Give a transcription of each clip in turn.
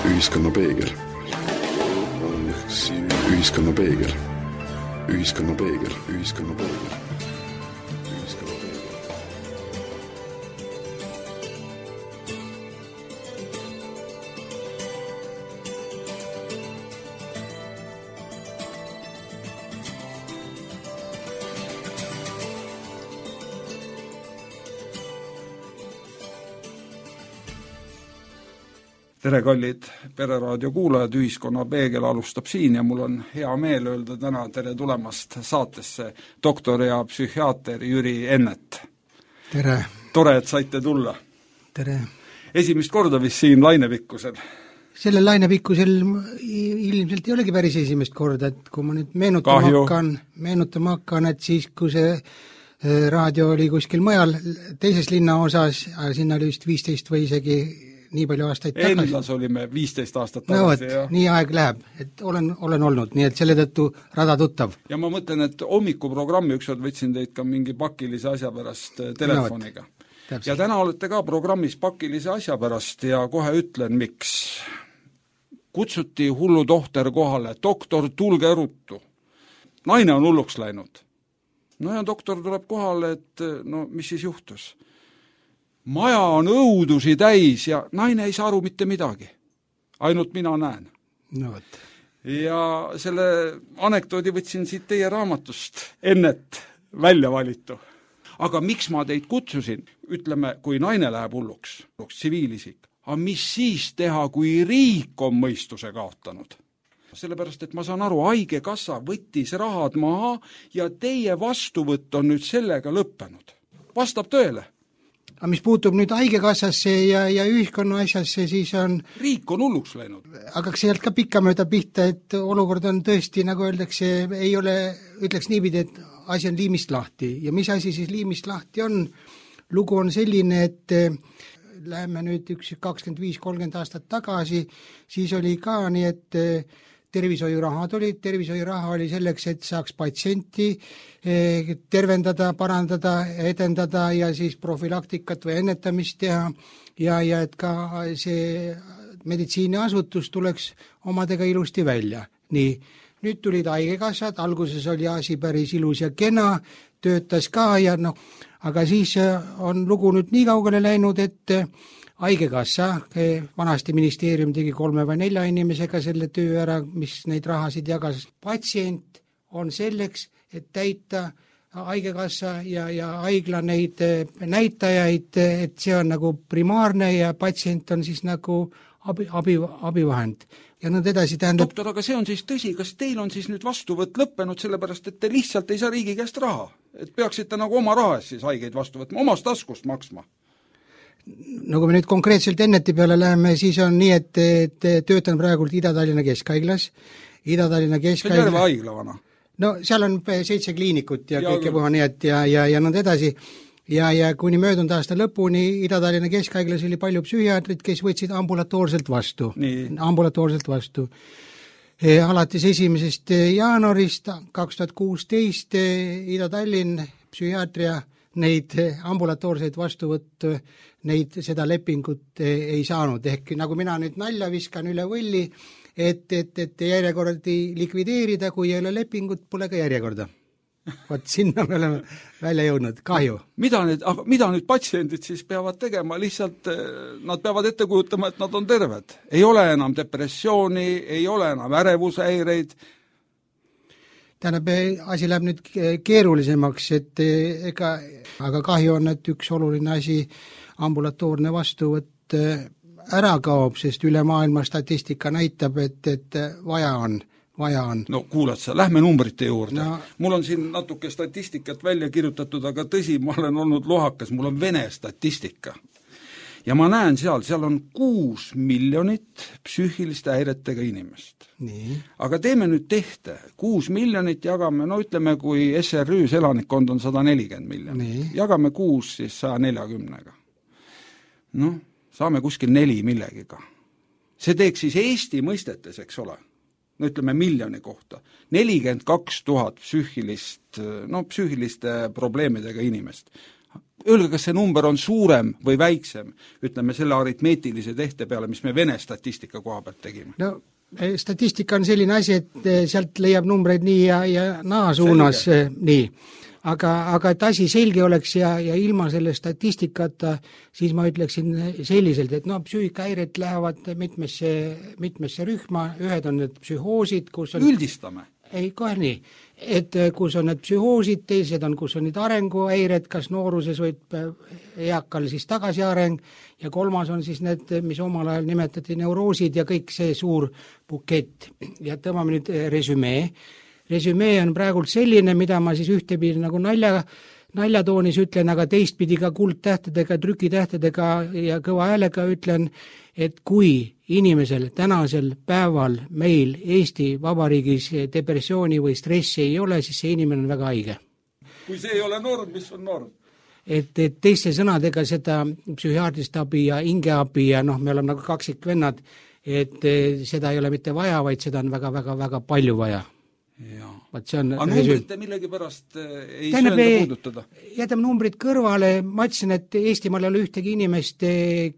Ühiskonna peegel. Ühiskonna peegel. Ühiskonna peegel. Ühiskonna peegel. Tere, kallid Pereraadio kuulajad, Ühiskonna peegel alustab siin ja mul on hea meel öelda täna tere tulemast saatesse doktor ja psühhiaater Jüri Ennet. Tere. Tore, et saite tulla. Tere. Esimest korda vist siin Lainepikkusel. Sellel Lainepikkusel ilmselt ei olegi päris esimest korda, et kui ma nüüd meenutama hakkan, et siis kui see raadio oli kuskil mujal teises linna osas, sinna oli vist 15 või isegi nii palju aastaid tagasi. Endlas olime 15 aastat tagasi. No võt, nii aeg läheb, et olen olnud, nii et selle tõttu rada tuttav. Ja ma mõtlen, et hommikuprogrammi ükskord võtsin teid ka mingi pakilise asja pärast telefoniga. No, ja täna olete ka programmis pakilise asja pärast ja kohe ütlen, miks. Kutsuti hullu tohter kohale, doktor, tulge ruttu. Naine on hulluks läinud. No ja doktor tuleb kohale, et no mis siis juhtus? Maja on õudusi täis ja naine ei saa aru mitte midagi. Ainult mina näen. No, võt. Ja selle anekdoodi võtsin siit teie raamatust Ennet välja valitu. Aga miks ma teid kutsusin? Ütleme, kui naine läheb hulluks, tsiviilisik. Aga mis siis teha, kui riik on mõistuse kaotanud? Sellepärast, et ma saan aru, haigekassa võttis rahad maha ja teie vastuvõtt on nüüd sellega lõppenud. Vastab tõele? Aga mis puutub nüüd haigekassasse ja ühiskonna asjasse, siis on... Riik on hulluks läinud. Aga sealt ka pikkamööda pihta, et olukord on tõesti, nagu öeldakse, ei ole, ütleks niipidi, et asi on liimist lahti. Ja mis asi siis liimist lahti on? Lugu on selline, et läheme nüüd 25-30 aastat tagasi, siis oli ka nii, et tervishoiuraha oli selleks, et saaks patsienti tervendada, parandada, edendada ja siis profülaktikat või ennetamist teha ja et ka see meditsiiniasutus tuleks omadega ilusti välja. Nii, nüüd tulid haigekassad, alguses oli asi päris ilus ja kena, töötas ka ja noh, aga siis on lugu nüüd nii kaugele läinud, et haigekassa, vanasti ministeerium tegi 3 või 4 inimesega selle töö ära, mis neid rahasid jagas. Patsient on selleks, et täita haigekassa ja haigla neid näitajaid, et see on nagu primaarne ja patsient on siis nagu abivahend. Ja nüüd edasi tähendab... Doktor, aga see on siis tõsi, kas teil on siis nüüd vastuvõtt lõppenud, sellepärast et te lihtsalt ei saa riigi käest raha? Et peaksite nagu oma raha eest siis haigeid vastu võtma, omast taskust maksma? No kui me nüüd konkreetselt Enneti peale läheme, siis on nii, et töötan praegult Ida-Tallinna Keskhaiglas. Ida-Tallinna Keskhaigla... See on terve haigla vana? No seal on 7 kliinikut ja kõike puha nii, et ja nõnd edasi. Ja kuni möödunud aasta lõpuni Ida-Tallinna Keskhaiglas oli palju psühhiaatrid, kes võtsid ambulatoorselt vastu. Ambulatoorselt vastu. Alates 1. jaanuarist 2016 Ida-Tallinn psühhiaatria neid ambulatoorseid vastuvõttu, neid seda lepingut ei saanud. Ehk nagu mina nüüd nalja viskan üle võlli, et järjekordi likvideerida, kui ei ole lepingut, pole ka järjekorda. Vaat sinna me oleme välja jõudnud, kahju. Mida nüüd patsiendid siis peavad tegema? Lihtsalt nad peavad ette kujutama, et nad on terved. Ei ole enam depressiooni, ei ole enam ärevushäireid. Tähendab, asi läheb nüüd keerulisemaks, aga kahju on, et üks oluline asi, ambulatoorne vastuvõtt ära kaob, sest üle maailma statistika näitab, et vaja on. No kuulad sa, lähme numbrite juurde. No. Mul on siin natuke statistikat välja kirjutatud, aga tõsi, ma olen olnud lohakas, mul on vene statistika. Ja ma näen seal on 6 miljonit psüühiliste häiretega inimest. Nii. Aga teeme nüüd tehte. 6 miljonit jagame, no ütleme, kui SRÜs elanikkond on 140 miljonit. Nii. Jagame 6 siis 140-ga. No, saame kuskil 4 millegiga. See teeks siis Eesti mõistetes, eks ole. no ütleme miljoni kohta, 42 000 psüühiliste probleemidega inimest. Öelge, kas see number on suurem või väiksem, ütleme selle aritmeetilise tehte peale, mis me Vene statistika koha pealt tegime? No statistika on selline asi, et sealt leiab numbreid nii ja naa suunas, nii. Aga et asi selge oleks ja ilma selle statistikata, siis ma ütleksin selliselt, et psüühikahäired lähevad mitmesse rühma, ühed on need psühhoosid, kus on... Üldistame. Ei, kohe nii. Et kus on need psühhoosid, teised on, kus on need arenguhäired, kas nooruses võib eakal siis tagasiareng ja kolmas on siis need, mis omal ajal nimetati neuroosid ja kõik see suur bukett. Ja tõmbame nüüd resümee. Resümee on praegult selline, mida ma siis ühtepidi nagu naljatoonis ütlen, aga teistpidi ka kuldtähtedega, trükitähtedega ja kõva häälega ütlen, et kui inimesel tänasel päeval meil Eesti Vabariigis depressiooni või stressi ei ole, siis see inimene on väga haige. Kui see ei ole norm, mis on norm? Et teiste sõnadega seda psühhiaatrist abi ja hingeabi ja me oleme nagu kaksikvennad, et seda ei ole mitte vaja, vaid seda on väga-väga-väga palju vaja. Aga numbrite millegi pärast ei söönda puudutada? Jätame numbrid kõrvale, ma ütlesin, et Eestimaal ei ole ühtegi inimest,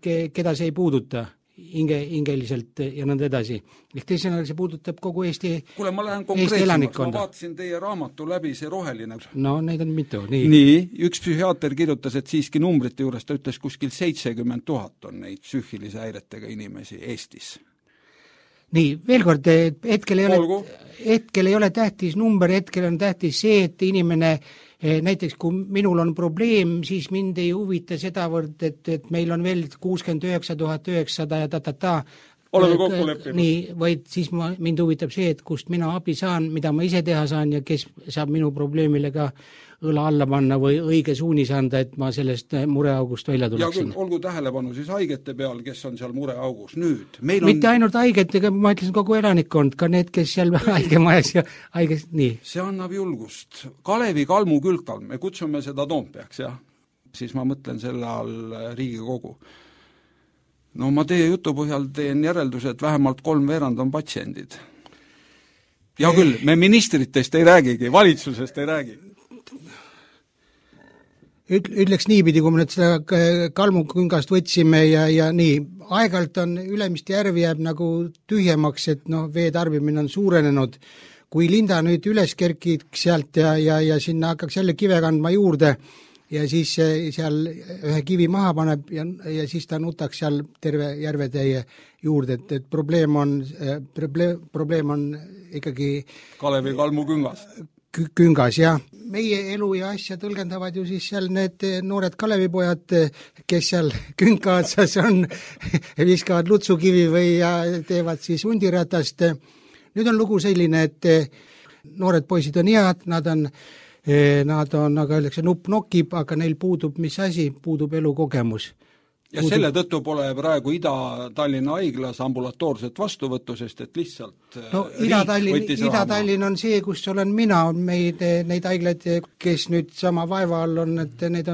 keda see ei puuduta hingeliselt ja nõnda edasi. Ehk teisena see puudutab kogu Eesti elanikkonda. Kuule, ma lähen konkreetsemaks, ma vaatasin teie raamatu läbi, see roheline. No, neid on mitu. Nii, üks psühhiaater kirjutas, et siiski numbrite juures ta ütles kuskil 70 000 on neid psüühilise häiretega inimesi Eestis. Nii, veel kord, hetkel ei ole tähtis number, hetkel on tähtis see, et inimene, näiteks kui minul on probleem, siis mind ei huvita sedavõrd, et meil on veel 69 900 ja oleme kokku leppinud. Nii, vaid siis mind huvitab see, et kust mina abi saan, mida ma ise teha saan ja kes saab minu probleemile ka õla alla panna või õige suunis anda, et ma sellest mureaugust välja tuleksin. Ja olgu tähelepanu siis haigete peal, kes on seal mureaugus. Nüüd, mitte ainult haigetega, ma ütlesin kogu elanikkond, ka need, kes seal haigemajas ja haiges, nii. See annab julgust. Kalevi Kalmu Külkal, me kutsume seda Toompeaks, jah. Siis ma mõtlen selle all Riigikogu. No ma teie jutu põhjal teen järelduse, et vähemalt 3/4 on patsiendid. Ja küll, me ministritest ei räägigi, valitsusest ei räägi. Ütleks niipidi, kui me nüüd seda Kalmuküngast võtsime ja nii, aegalt on Ülemiste järvi jääb nagu tühjemaks, et veetarbimine on suurenenud. Kui Linda nüüd üles kerkiks sealt ja sinna hakkaks jälle kive kandma juurde ja siis seal ühe kivi maha paneb ja siis ta nutaks seal terve järvetäie juurde, et probleem on ikkagi Kalevi Kalmu küngas, jah. Meie elu ja asja tõlgendavad ju siis seal need noored Kalevipojad, kes seal künka otsas on, viskavad lutsukivi või teevad siis hundiratast. Nüüd on lugu selline, et noored poisid on head, nad on, aga öeldakse, nupp nokib, aga neil puudub mis asi, puudub elukogemus. Ja selle tõttu pole praegu Ida-Tallinna haiglas ambulatoorset vastuvõttu, sest et lihtsalt Ida-Tallinn on see, kus olen mina, on neid haiglaid, kes nüüd sama vaeva all on, et neid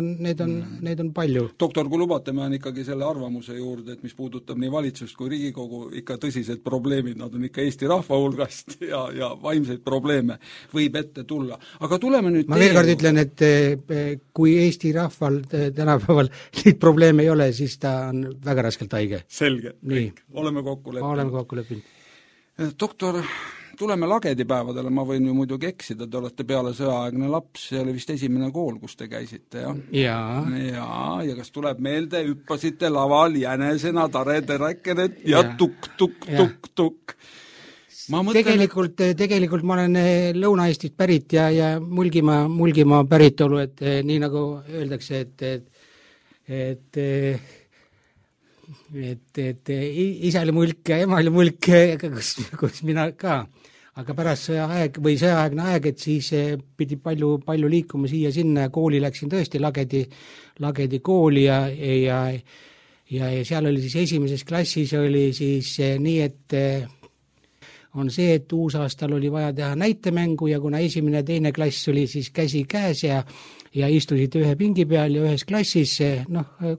on palju. Doktor, kui lubate, ma on ikkagi selle arvamuse juurde, et mis puudutab nii valitsust kui Riigikogu, ikka tõsised probleemid, nad on ikka Eesti rahva hulgast ja vaimseid probleeme võib ette tulla. Aga tuleme nüüd ma veel kord ütlen, et kui Eesti rahval tänapäeval neid probleeme ei ole, siis ta on väga raskelt haige. Selge, oleme kokku leppinud. Doktor, tuleme lagedipäevadele, ma võin ju muidugi eksida, te olete peale sõjaaegne laps, see oli vist esimene kool, kus te käisite, jah? Ja kas tuleb meelde, hüppasite laval jänesena, tareteräkenet ja tukk. Tegelikult ma olen Lõuna-Eestist pärit ja Mulgimaa päritolu, et nii nagu öeldakse, et isa oli mulk ja ema oli mulk, kus mina ka. Aga pärast sõjaaegne aeg, et siis pidi palju liikuma siia-sinna ja kooli läksin tõesti lagedi kooli ja seal oli siis esimeses klassis oli siis nii, et on see, et uusaastal oli vaja teha näitemängu ja kuna esimene ja teine klass oli siis käsi käes ja istusid ühe pingi peal ja ühes klassis,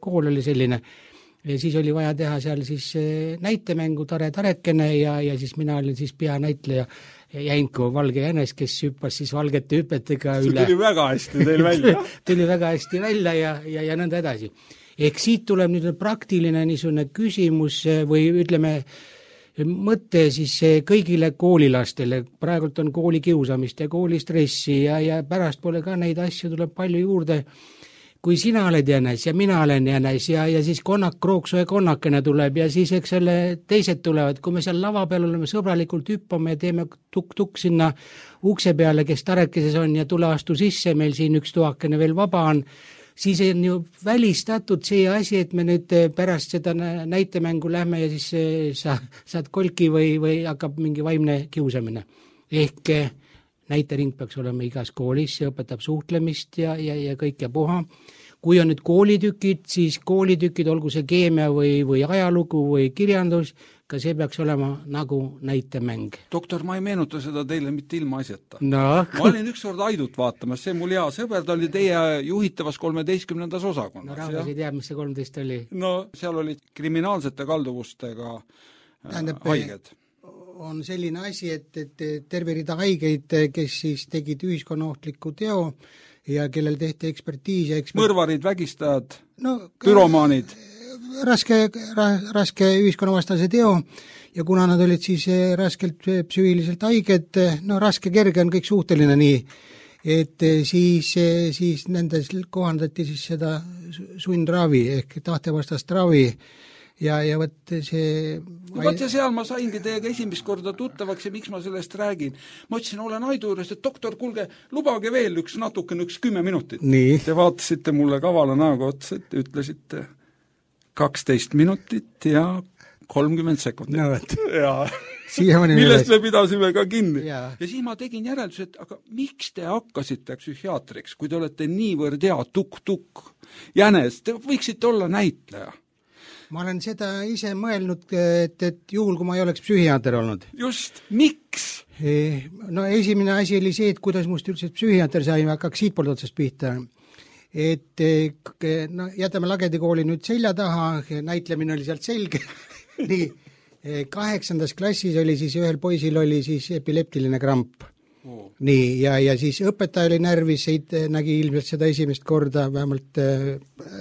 kool oli selline. ja siis oli vaja teha seal siis näitemängu Tare Tarekene ja siis mina olin siis peanäitleja Jänko Valge Jänes, kes hüppas siis valgete hüpetega üle. See tuli väga hästi teil välja. Tuli väga hästi välja ja nõnda edasi. Ehk siit tuleb nüüd praktiline niisugune küsimus või ütleme mõte siis kõigile koolilastele. Praegult on koolikiusamist ja koolistressi ja pärast pole ka neid asju, tuleb palju juurde. Kui sina oled jänes ja mina olen jänes ja siis Krooksu ja Konnakene tuleb ja siis eks selle teised tulevad, kui me seal lava peal oleme sõbralikult hüppame ja teeme tukk-tukk sinna ukse peale, kes Tarekeses on ja tule astu sisse, meil siin üks tuhakene veel vaba on, siis on ju välistatud see asi, et me nüüd pärast seda näitemängu lähme ja siis saad kolki või hakkab mingi vaimne kiusamine. Ehk näitering peaks olema igas koolis, see õpetab suhtlemist ja kõik ja puha. Kui on nüüd koolitükid, siis koolitükid, olgu see keemia või ajalugu või kirjandus, ka see peaks olema nagu näitemäng. Doktor, ma ei meenuta seda teile mitte ilma asjata. No. Ma olin ükskord Aidut vaatamas, see mul hea sõber, ta oli teie juhitavas 13. osakonnas. No rahvas ei tea, mis see 13 oli. No seal olid kriminaalsete kalduvustega haiged. On selline asi, et terve rida haigeid, kes siis tegid ühiskonnaohtliku teo ja kellel tehti ekspertiis ja mõrvarid, vägistajad, pyromaanid. Raske ühiskonnavastase teo ja kuna nad olid siis raskelt psüühiliselt haiged, raske-kerge on kõik suhteline nii, et siis nendes kohandati siis seda sundravi ehk tahtevastast ravi ja võt see Võt ja seal ma saingi teiega esimest korda tuttavaks ja miks ma sellest räägin. Ma ütlesin, olen Aidu juures, et doktor, kuulge, lubage veel üks 10 minutit. Nii. Te vaatasite mulle kavala näoga otsa, et ütlesite 12 minutit ja 30 sekundit. No, ja millest me pidasime ka kinni. Ja siis ma tegin järeldus, et aga miks te hakkasite psühhiaatriks, kui te olete niivõrd hea tukk-tukk jänes, te võiksite olla näitleja. Ma olen seda ise mõelnud, et juhul, kui ma ei oleks psühhiaater olnud. Just, miks? No esimene asi oli see, et kuidas must üldse psühhiaater sai, hakkaks siitpoolt otsast pihta. Et jätame Lagedikooli nüüd selja taha, näitlemine oli sealt selge. Nii, 8. klassis oli siis ühel poisil oli siis epileptiline kramp. Nii, ja siis õpetaja oli närvis, nägi ilmselt seda esimest korda, vähemalt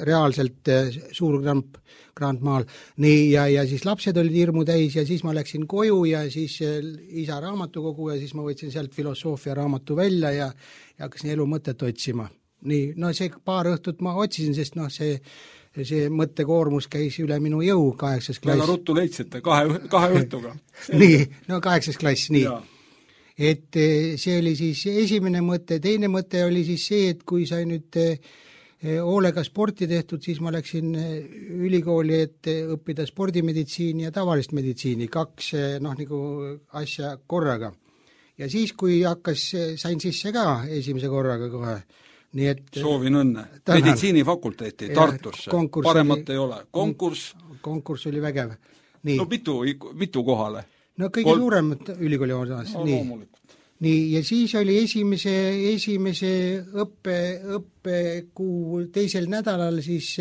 reaalselt suur kramp Grandmaal. Nii, ja siis lapsed olid hirmu täis ja siis ma läksin koju ja siis isa raamatukogu ja siis ma võtsin sealt filosoofia raamatu välja ja hakkasin elu mõtet otsima. Nii, see paar õhtut ma otsisin, sest see mõttekoormus käis üle minu jõu 8. klass. Väga ruttu leidsite, kahe õhtuga. Nii, 8. klass, nii. Ja. Et see oli siis esimene mõte, teine mõte oli siis see, et kui sai nüüd hoolega sporti tehtud, siis ma läksin ülikooli, et õppida spordimeditsiini ja tavalist meditsiini, 2 nagu asja korraga. Ja siis, kui sain sisse ka esimese korraga kohe, nii et soovin õnne. Meditsiinifakulteeti Tartusse, paremat ei ole. Konkurss oli vägev. Nii. No mitu kohale? No kõige suuremad ülikooli osas. Nii, ja siis oli esimese õppekuu teisel nädalal, siis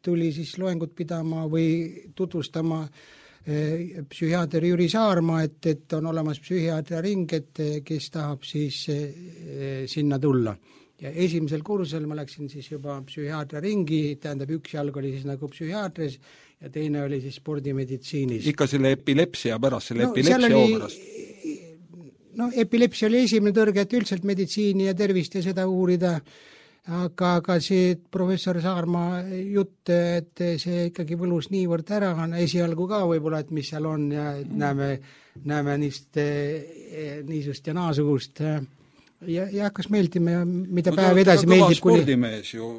tuli siis loengut pidama või tutvustama psühhiaater Jüri Saarma, et on olemas psühhiaatria ring, et kes tahab siis sinna tulla. Ja esimesel kursusel ma läksin siis juba psühhiaatria ringi, tähendab üks jalg oli siis nagu psühhiaatris ja teine oli siis spordimeditsiinis. Ikka selle epilepsia pärast, epilepsia pärast? No epilepsia oli esimene tõrge, et üldiselt meditsiini ja tervist ja seda uurida, aga see professor Saarma jutt, et see ikkagi võlus niivõrd ära, esialgu ka võib-olla, et mis seal on ja näeme niisust ja naasugust ja hakkas meeldima ja mida päev edasi meeldib. Spordimees ju,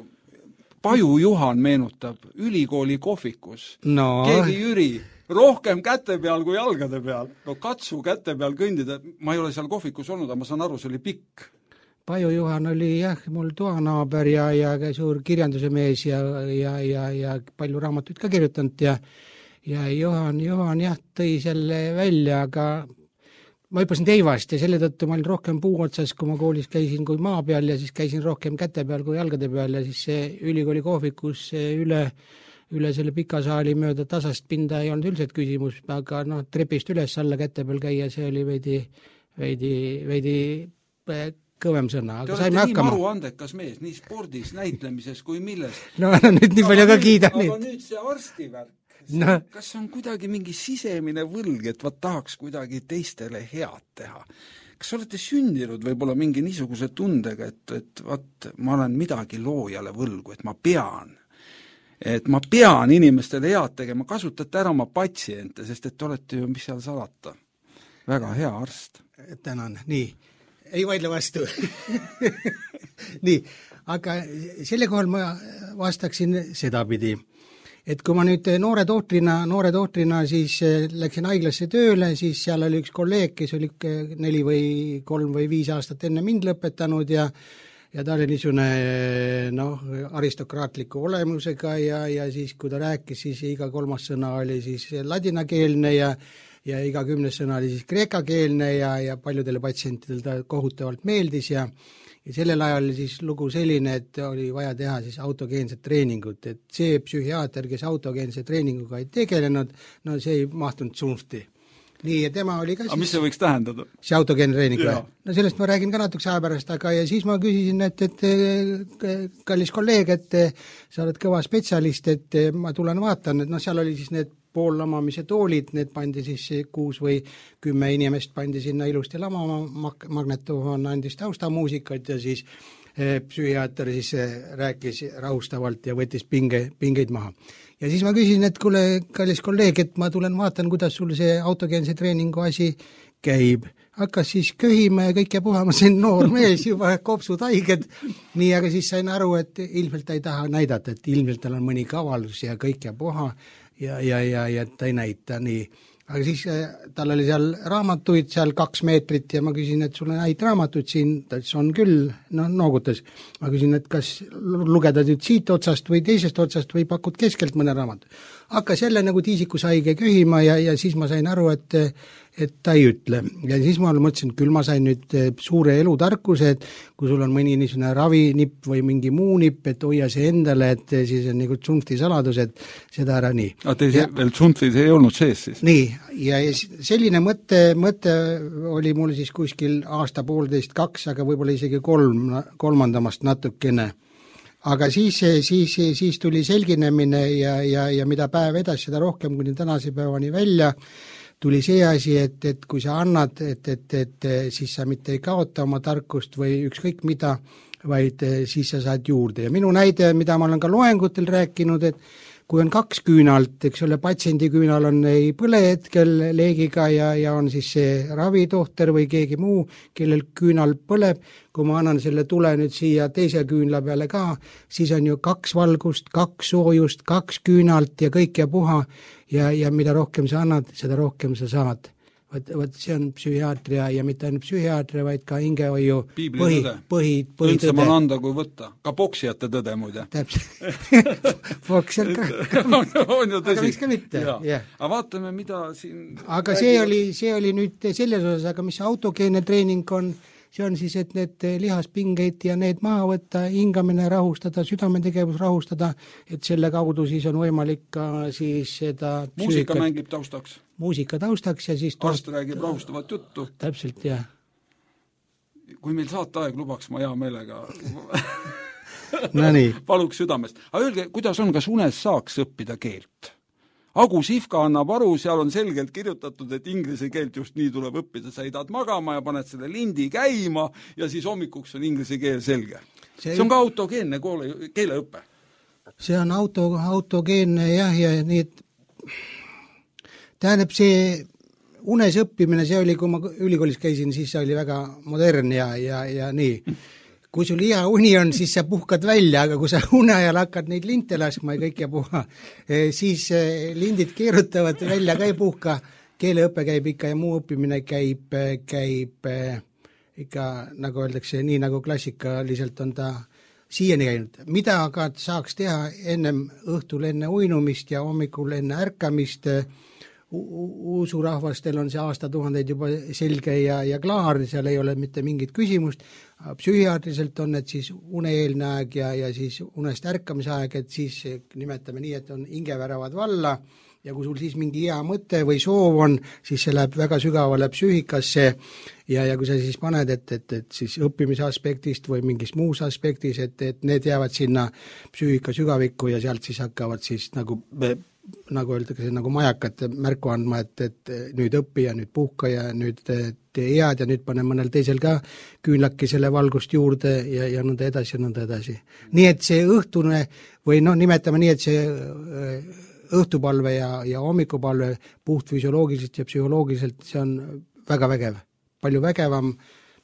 Paju Juhan meenutab ülikooli kohvikus, keegi Jüri, rohkem käte peal kui jalgade peal. No katsu käte peal kõndida, ma ei ole seal kohvikus olnud, aga ma saan aru, see oli pikk. Paju Juhan oli mul toanaaber ja suur kirjanduse mees ja palju raamatuid ka kirjutanud ja Juhan tõi selle välja, aga ma hüppasin teivast ja selle tõttu ma olin rohkem puu otsas, kui ma koolis käisin kui maa peal ja siis käisin rohkem käte peal kui jalgade peal ja siis see ülikooli kohvikus üle üle selle pika saali mööda tasast pinda ei olnud üldse küsimus, aga trepist üles alla käte peal käia, see oli veidi kõvem sõna, aga saime hakkama. Te olete nii maru andekas mees, nii spordis, näitlemises kui milles. No nüüd nii palju ka kiida. Aga nüüd see arstivärk, kas on kuidagi mingi sisemine võlg, et tahaks kuidagi teistele head teha? Kas olete sündinud võib-olla mingi niisuguse tundega, et ma olen midagi loojale võlgu, et ma pean inimestele head tegema, kasutate ära oma patsiente, sest et olete ju, mis seal salata, väga hea arst. Tänan, nii. Ei vaidle vastu. Nii, aga selle kohal ma vastaksin sedapidi, et kui ma nüüd noore tohtrina siis läksin haiglasse tööle, siis seal oli üks kolleeg, kes oli 4 või 3 või 5 aastat enne mind lõpetanud ja ta oli niisugune aristokraatliku olemusega ja siis, kui ta rääkis, siis iga 3. sõna oli siis ladinakeelne ja iga 10. sõna oli siis kreekakeelne ja paljudele patsientidel ta kohutavalt meeldis ja sellel ajal siis lugu selline, et oli vaja teha siis autogeenset treeningut, et see psühhiaater, kes autogeense treeninguga ei tegelenud, see ei mahtunud suhti. Nii, ja tema oli ka siis... Aga mis see võiks tähendada? See autogeenne treening või? No sellest ma räägin ka natukese aja pärast, aga ja siis ma küsisin, et kallis kolleeg, et sa oled kõva spetsialist, et ma tulen vaatan, et seal oli siis need poollamamise toolid, need pandi siis 6 või 10 inimest pandi sinna ilusti lamama, magnetoon andis taustamuusikat ja siis psühhiaater siis rääkis rahustavalt ja võttis pingeid maha. Ja siis ma küsisin, et kuule, kallis kolleeg, et ma tulen vaatan, kuidas sul see autogeense treeningu asi käib. Hakkas siis köhima ja kõik ja puhama, see noor mees juba kopsud haiged. Nii, aga siis sain aru, et ilmselt ta ei taha näidata, et ilmselt tal on mõni kavalus ja kõik ja puha ja ta ei näita nii. Aga siis tal oli seal raamatuid seal 2 meetrit ja ma küsin, et sul on häid raamatuid siin, ta on küll, noogutas. Ma küsin, et kas lugeda nüüd siit otsast või teisest otsast või pakud keskelt mõne raamatu. Hakkas jälle nagu tiisikushaige köhima ja siis ma sain aru, et ta ei ütle. Ja siis ma mõtlesin, küll ma sain nüüd suure elutarkuse, et kui sul on mõni niisugune ravinipp või mingi muu nipp, et hoia see endale, et siis on nagu tsunfti saladus, et seda ära nii. Aga teil veel tsunftis ei olnud sees siis? Nii, ja selline mõte oli mul siis kuskil aasta 1,5-2, aga võib-olla isegi 3. natukene. Aga siis tuli selginemine ja mida päev edasi, seda rohkem kuni tänase päevani välja, tuli see asi, et kui sa annad, et siis sa mitte ei kaota oma tarkust või ükskõik mida, vaid siis sa saad juurde. Ja minu näide, mida ma olen ka loengutel rääkinud, et kui on 2 küünalt, eks ole, patsiendi küünal on ei põle hetkel leegiga ja on siis see ravitohter või keegi muu, kellel küünal põleb, kui ma annan selle tule nüüd siia teise küünla peale ka, siis on ju 2 valgust, 2 soojust, 2 küünalt ja kõik ja puha ja mida rohkem sa annad, seda rohkem sa saad. Võt see on psühhiaatria ja mitte ainult psühhiaatria, vaid ka hingehoiu põhitõde. Üldse ma anda kui võtta. Ka poksijate tõde muide. Täpselt. Poksijad ka. On ju tõsi. Aga miks ka mitte. Aga vaatame, mida siin... Aga see oli nüüd selles osas, aga mis autogeenne treening on, see on siis, et need lihaspingeid ja need maha võtta, hingamine rahustada, südametegevus rahustada, et selle kaudu siis on võimalik ka siis seda... Muusika mängib taustaks. Muusika taustaks ja siis... Arst räägib rahustavat juttu. Täpselt, jah. Kui meil saateaeg lubaks, ma hea meelega no nii. Paluks südamest. Aga öelge, kuidas on, kas unes saaks õppida keelt? Agu Sihvka annab aru, seal on selgelt kirjutatud, et inglise keelt just nii tuleb õppida. Sa idad magama ja paned selle lindi käima ja siis hommikuks on inglise keel selge. See on ka autogeenne keeleõppe. See on autogeenne jah, ja nii, et tähendab see unes õppimine, see oli, kui ma ülikoolis käisin, siis see oli väga modern ja nii. Kui sul hea uni on, siis sa puhkad välja, aga kui sa une ajal hakkad neid linte laskma ja kõik ja puha, siis lindid keerutavad välja ka ei puhka, keeleõpe käib ikka ja muu õppimine käib ikka, nagu öeldakse, nii nagu klassikaliselt on ta siiani käinud. Mida aga saaks teha ennem õhtul enne uinumist ja hommikul enne ärkamist, usurahvastel on see aastatuhandeid juba selge ja klaar, seal ei ole mitte mingit küsimust, psühhiaatriliselt on need siis uneeelne aeg ja siis unest ärkamise aeg, et siis nimetame nii, et on hingeväravad valla ja kui sul siis mingi hea mõte või soov on, siis see läheb väga sügavale psüühikasse ja kui sa siis paned, et siis õppimise aspektist või mingis muus aspektis, et need jäävad sinna psüühika sügavikku ja sealt siis hakkavad siis nagu öeldakse, nagu majakad märku andma, et nüüd õppi ja nüüd puhka ja nüüd tee head ja nüüd pane mõnel teisel ka küünlaki selle valgust juurde ja nõnda edasi ja nõnda edasi. Nii et see õhtune või nimetame nii, et see õhtupalve ja hommikupalve puht füsioloogiliselt ja psühholoogiliselt, see on väga vägev, palju vägevam,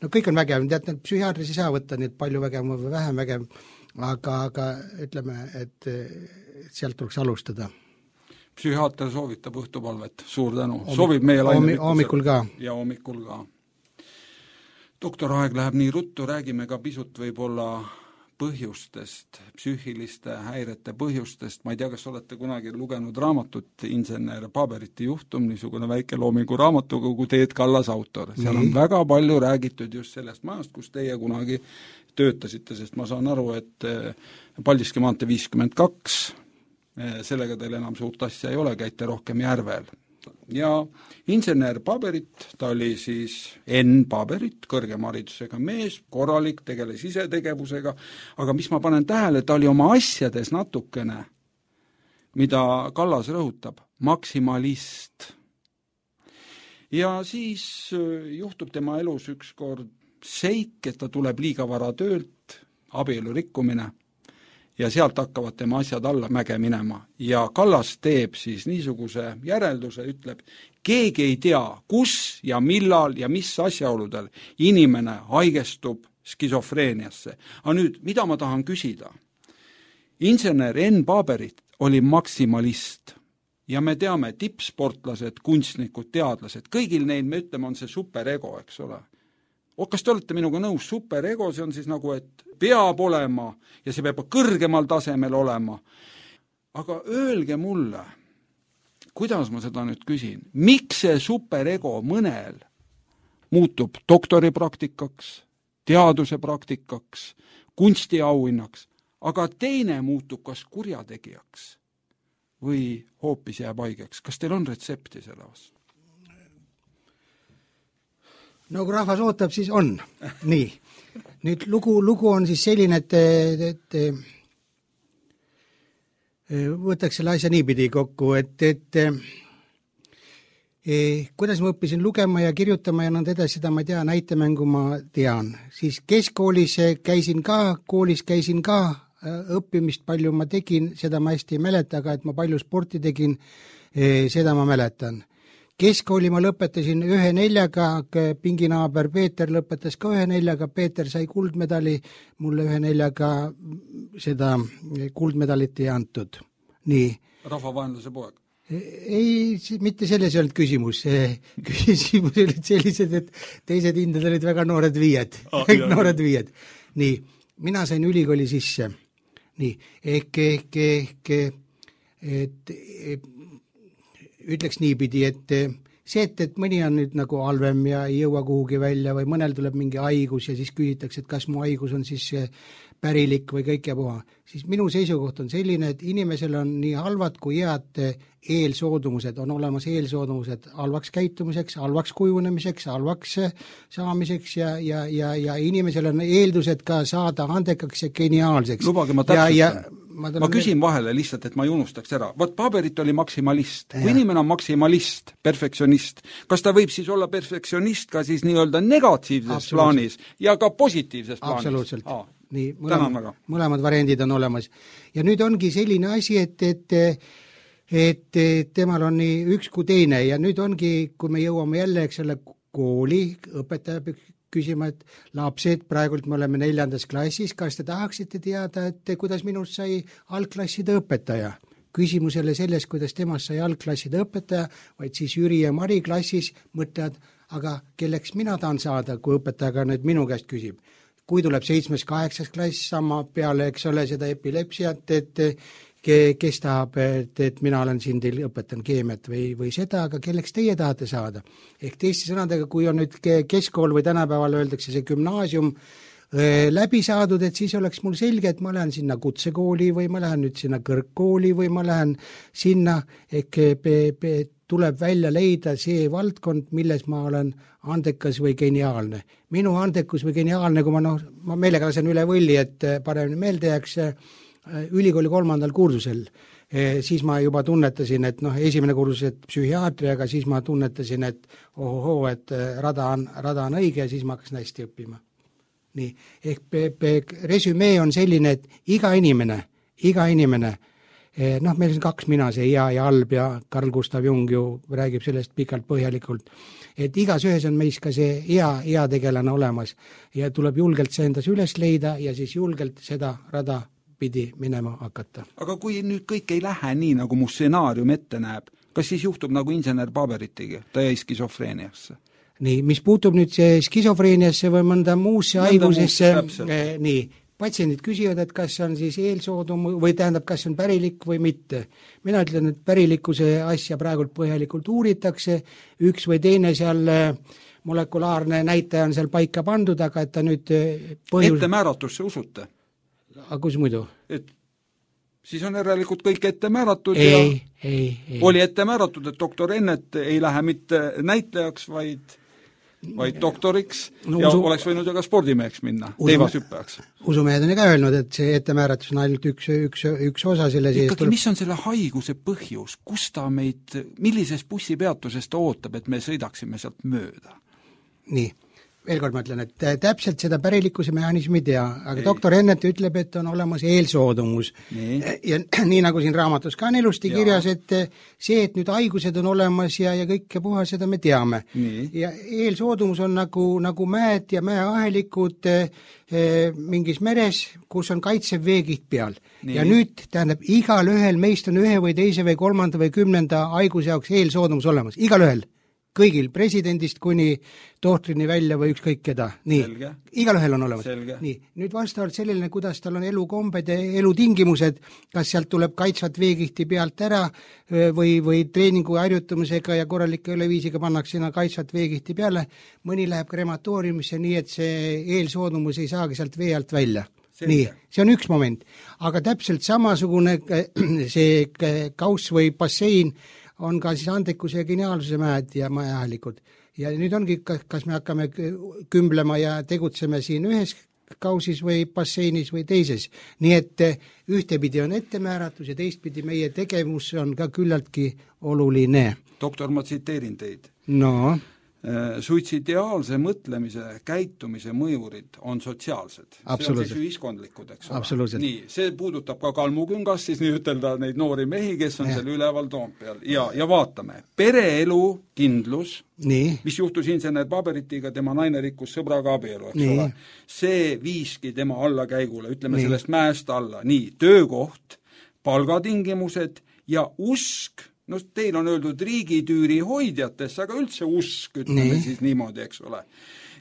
kõik on vägev, tead, psühhiaatris ei saa võtta nii palju vägevam või vähem vägev, aga ütleme, et sealt tuleks alustada. Psühhiaater soovitab õhtupalvet, suur tänu, soovib meie hommikul ka. Ja hommikul ka. Doktor Aeg läheb nii ruttu, räägime ka pisut võib-olla põhjustest, psüühiliste häirete põhjustest, ma ei tea, kas olete kunagi lugenud raamatut Insener Paberiti juhtum, niisugune väike loomingu raamatukogu, Teet Kallas autor. Seal on väga palju räägitud just sellest majast, kus teie kunagi töötasite, sest ma saan aru, et Paldiski maantee 52, sellega teil enam suurt asja ei ole, käite rohkem Järvel. Ja Insener Paberit, ta oli siis N. Paberit, kõrgema haridusega mees, korralik, tegeles isetegevusega, aga mis ma panen tähele, ta oli oma asjades natukene, mida Kallas rõhutab, maksimalist. Ja siis juhtub tema elus ükskord seik, et ta tuleb liiga vara töölt, abielu rikkumine, ja sealt hakkavad tema asjad alla mäge minema. Ja Kallas teeb siis niisuguse järelduse, ütleb, keegi ei tea, kus ja millal ja mis asjaoludel inimene haigestub skisofreeniasse. Aga nüüd, mida ma tahan küsida? Insener N. Paberit oli maksimalist ja me teame, tippsportlased, kunstnikud, teadlased, kõigil neil, me ütleme, on see superego, eks ole. Kas te olete minuga nõus, superego, see on siis nagu, et peab olema ja see peab kõrgemal tasemel olema. Aga öelge mulle, kuidas ma seda nüüd küsin, miks see superego mõnel muutub doktoripraktikaks, teaduse praktikaks, kunstiauhinnaks, aga teine muutub kas kurjategijaks või hoopis jääb haigeks. Kas teil on retsepti selle vastu? No kui rahvas ootab, siis on. Nii. Nüüd lugu on siis selline, et võtaks selle asja niipidi kokku, et kuidas ma õppisin lugema ja kirjutama ja nõnda edasi, seda ma ei tea, näitemängu ma tean. Siis keskkoolis käisin ka, õppimist palju ma tegin, seda ma hästi ei mäleta, aga et ma palju sporti tegin, seda ma mäletan. Keskkooli ma lõpetasin 1.4, pinginaaber Peeter lõpetas ka 1.4, Peeter sai kuldmedali, mulle 1.4 seda kuldmedalit ei antud. Nii. Rahvavaenlase poeg? Ei, mitte selles ei olnud küsimus. Küsimus olid sellised, et teised hinded olid väga noored viied. Noored viied. Nii, mina sain ülikooli sisse. Nii, ütleks niipidi, et see, et mõni on nüüd nagu halvem ja ei jõua kuhugi välja või mõnel tuleb mingi haigus ja siis küsitakse, et kas mu haigus on siis pärilik või kõik ja puha, siis minu seisukoht on selline, et inimesel on nii halvad kui head eelsoodumused, on olemas eelsoodumused halvaks käitumiseks, halvaks kujunemiseks, halvaks saamiseks ja inimesel on eeldused ka saada andekaks ja geniaalseks. Lubage, ma täpsustan. Ma küsin vahele lihtsalt, et ma ei unustaks ära. Vaat Paberit oli maksimalist. Kui inimene on maksimalist, perfektsionist, kas ta võib siis olla perfektsionist ka siis nii-öelda negatiivses plaanis ja ka positiivses plaanis? Absoluutselt. Nii, mõlemad variandid on olemas. Ja nüüd ongi selline asi, et temal on nii üks kui teine ja nüüd ongi, kui me jõuame jälle selle kooli, õpetaja küsima, et lapsed, praegult me oleme 4. klassis, kas te tahaksite teada, et kuidas minust sai algklasside õpetaja? Küsimusele selles, kuidas temast sai algklasside õpetaja, vaid siis Jüri ja Mari klassis mõtlevad, aga kelleks mina tahan saada, kui õpetajaga nüüd minu käest küsib. Kui tuleb 7.-8. klass sama peale, eks ole, seda epilepsiat, et kes tahab, et mina olen siin teil, õpetan keemiat või seda, aga kelleks teie tahate saada. Ehk teiste sõnadega, kui on nüüd keskkool või tänapäeval öeldakse see gümnaasium läbi saadud, et siis oleks mul selge, et ma lähen sinna kutsekooli või ma lähen nüüd sinna kõrgkooli või ma lähen sinna, tuleb välja leida see valdkond, milles ma olen andekas või geniaalne. Minu andekus või geniaalne, kui ma meelega lasen üle võlli, et paremini meelde jääks ülikooli 3. kursusel, siis ma juba tunnetasin, et esimene kursus, et psühhiaatria, aga siis ma tunnetasin, et et rada on õige ja siis ma hakkasin hästi õppima. Nii, ehk resümee on selline, et iga inimene, meil on 2 mina, see hea ja halb ja Carl Gustav Jung ju räägib sellest pikalt põhjalikult, et igas ühes on meis ka see hea tegelane olemas ja tuleb julgelt see endas üles leida ja siis julgelt seda rada pidi minema hakata. Aga kui nüüd kõik ei lähe nii, nagu mu stsenaarium ette näeb, kas siis juhtub nagu insener Paberitiga, ta jäi skisofreeniasse? Nii, mis puutub nüüd skisofreeniasse või mõnda muusse haigusesse, nii, patsiendid küsivad, et kas on siis eelsoodum või tähendab, kas on pärilik või mitte. Mina ütlen, et pärilikkuse asja praegult põhjalikult uuritakse, üks või teine seal molekulaarne näitaja on seal paika pandud, aga et ta nüüd Ettemääratuse usute? Aga kus muidu? Et siis on järelikult kõik ette määratud ei. Oli ette määratud, et doktor Ennet ei lähe mitte näitlejaks, vaid doktoriks oleks võinud ju ka spordimeheks minna, teivashüppajaks. Usumehed on ka öelnud, et see ettemääratus on ainult üks osa selle sees. Ikkagi, mis on selle haiguse põhjus? Kus ta meid, millises bussipeatuses ta ootab, et me sõidaksime sealt mööda? Nii. Veel kord ma ütlen, et täpselt seda pärilikkuse mehhanismi ei tea, aga doktor Ennet ütleb, et on olemas eelsoodumus. Ja nii nagu siin raamatus ka on ilusti kirjas, et see, et nüüd haigused on olemas ja kõike puha, seda me teame. Ja eelsoodumus on nagu mäed ja mäeahelikud mingis meres, kus on kaitsev veekiht peal. Ja nüüd tähendab, igal ühel meist on ühe või teise või 3. või 10. haiguse jaoks eelsoodumus olemas. Igal ühel. Kõigil, presidendist kuni tohtrini välja või ükskõik keda. Nii, igal ühel on olemas. Nii, nüüd vastavalt sellele, kuidas tal on elukombed ja elutingimused, kas sealt tuleb kaitsvat veekihti pealt ära või treeningu harjutamisega ja korralike üleviisiga pannakse sinna kaitsvat veekihti peale, mõni läheb krematooriumisse nii, et see eelsoodumus ei saagi sealt vee alt välja. Nii, see on üks moment. Aga täpselt samasugune see kauss või bassein on ka siis andekuse ja geniaalsuse mäed ja mäeahelikud. Ja nüüd ongi, kas me hakkame kümblema ja tegutseme siin ühes kausis või basseinis või teises. Nii et ühtepidi on ettemääratus ja teistpidi meie tegevus on ka küllaltki oluline. Doktor, ma tsiteerin teid. No. Suitsidiaalse mõtlemise, käitumise mõjurid on sotsiaalsed. See on siis ühiskondlikud, eks ole. Nii, see puudutab ka Kalmuküngas, siis nii ütelda neid noori mehi, kes on seal üleval Toompeal. Ja vaatame, pereelu kindlus, mis juhtus insener Paberitiga, tema naine rikkus sõbraga abielu, eks ole. See viiski tema allakäigule, ütleme sellest mäest alla. Nii, töökoht, palgatingimused ja usk, teil on öeldud riigitüüri hoidjatesse, aga üldse usk, ütleme siis niimoodi, eks ole.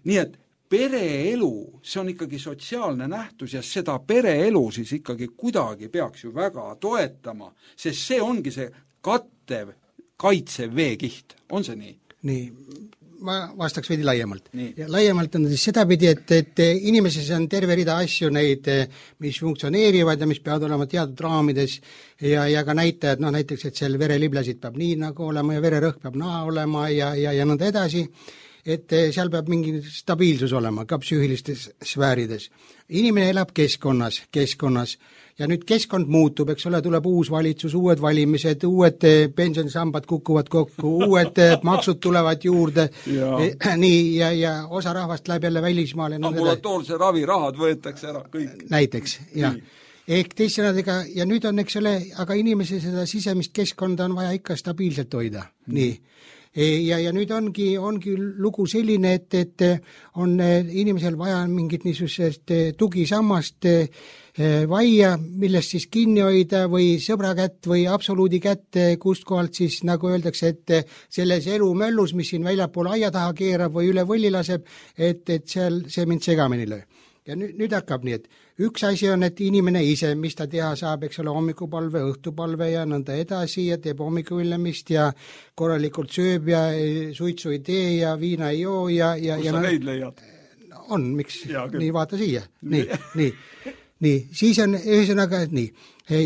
Nii et pereelu, see on ikkagi sotsiaalne nähtus ja seda pereelu siis ikkagi kuidagi peaks ju väga toetama, sest see ongi see kattev, kaitsev veekiht. On see nii? Nii, ma vastaks veidi laiemalt. Ja laiemalt on siis sedapidi, et inimeses on terve rida asju neid, mis funktsioneerivad ja mis peavad olema teatud raamides ja ka näitajad, näiteks, et seal vereliblesid peab nii nagu olema ja vererõhk peab naa olema ja nõnda edasi, et seal peab mingi stabiilsus olema ka psüühilistes sfäärides. Inimene elab keskkonnas ja nüüd keskkond muutub, eks ole, tuleb uus valitsus, uued valimised, uued pensionisambad kukuvad kokku, uued maksud tulevad juurde, nii, ja osa rahvast läheb jälle välismaale. Ambulatoorse ravirahad võetakse ära kõik. Näiteks, jah. Ehk teissõnadega, ja nüüd on, eks ole, aga inimese seda sisemist keskkonda on vaja ikka stabiilselt hoida, nii. Ja nüüd ongi lugu selline, et on inimesel vaja mingit niisugust tugisammast vaia, millest siis kinni hoida või sõbra kätt või absoluudi kätt, kust kohalt siis nagu öeldakse, et selles elumöllus, mis siin väljapool aia taha keerab või üle võlli laseb, et seal see mind segamini löö. Ja nüüd hakkab nii, et üks asi on, et inimene ise, mis ta teha saab, eks ole, hommikupalve, õhtupalve ja nõnda edasi ja teeb hommikuvillemist ja korralikult sööb ja suitsu ei tee ja viina ei joo ja kus sa neid leiad? On, miks? Nii, vaata siia. Nii, siis on ühesõnaga, nii.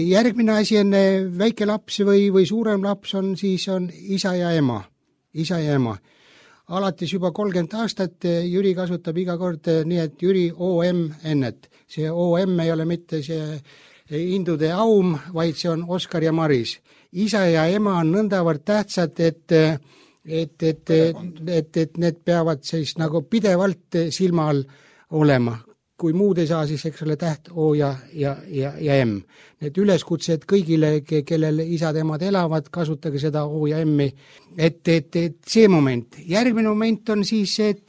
Järgmine asi on väike laps või suurem laps on, siis on isa ja ema. Alates juba 30 aastat Jüri kasutab iga kord nii, et Jüri OM ennet. See OM ei ole mitte see indude aum, vaid see on Oskar ja Maris. Isa ja ema on nõndavalt tähtsad, et need peavad siis nagu pidevalt silma all olema. Kui muud ei saa, siis eks ole täht O ja M. Need üleskutsed kõigile, kellel isad emad elavad, kasutage seda O ja M-i. Et see moment. Järgmine moment on siis, et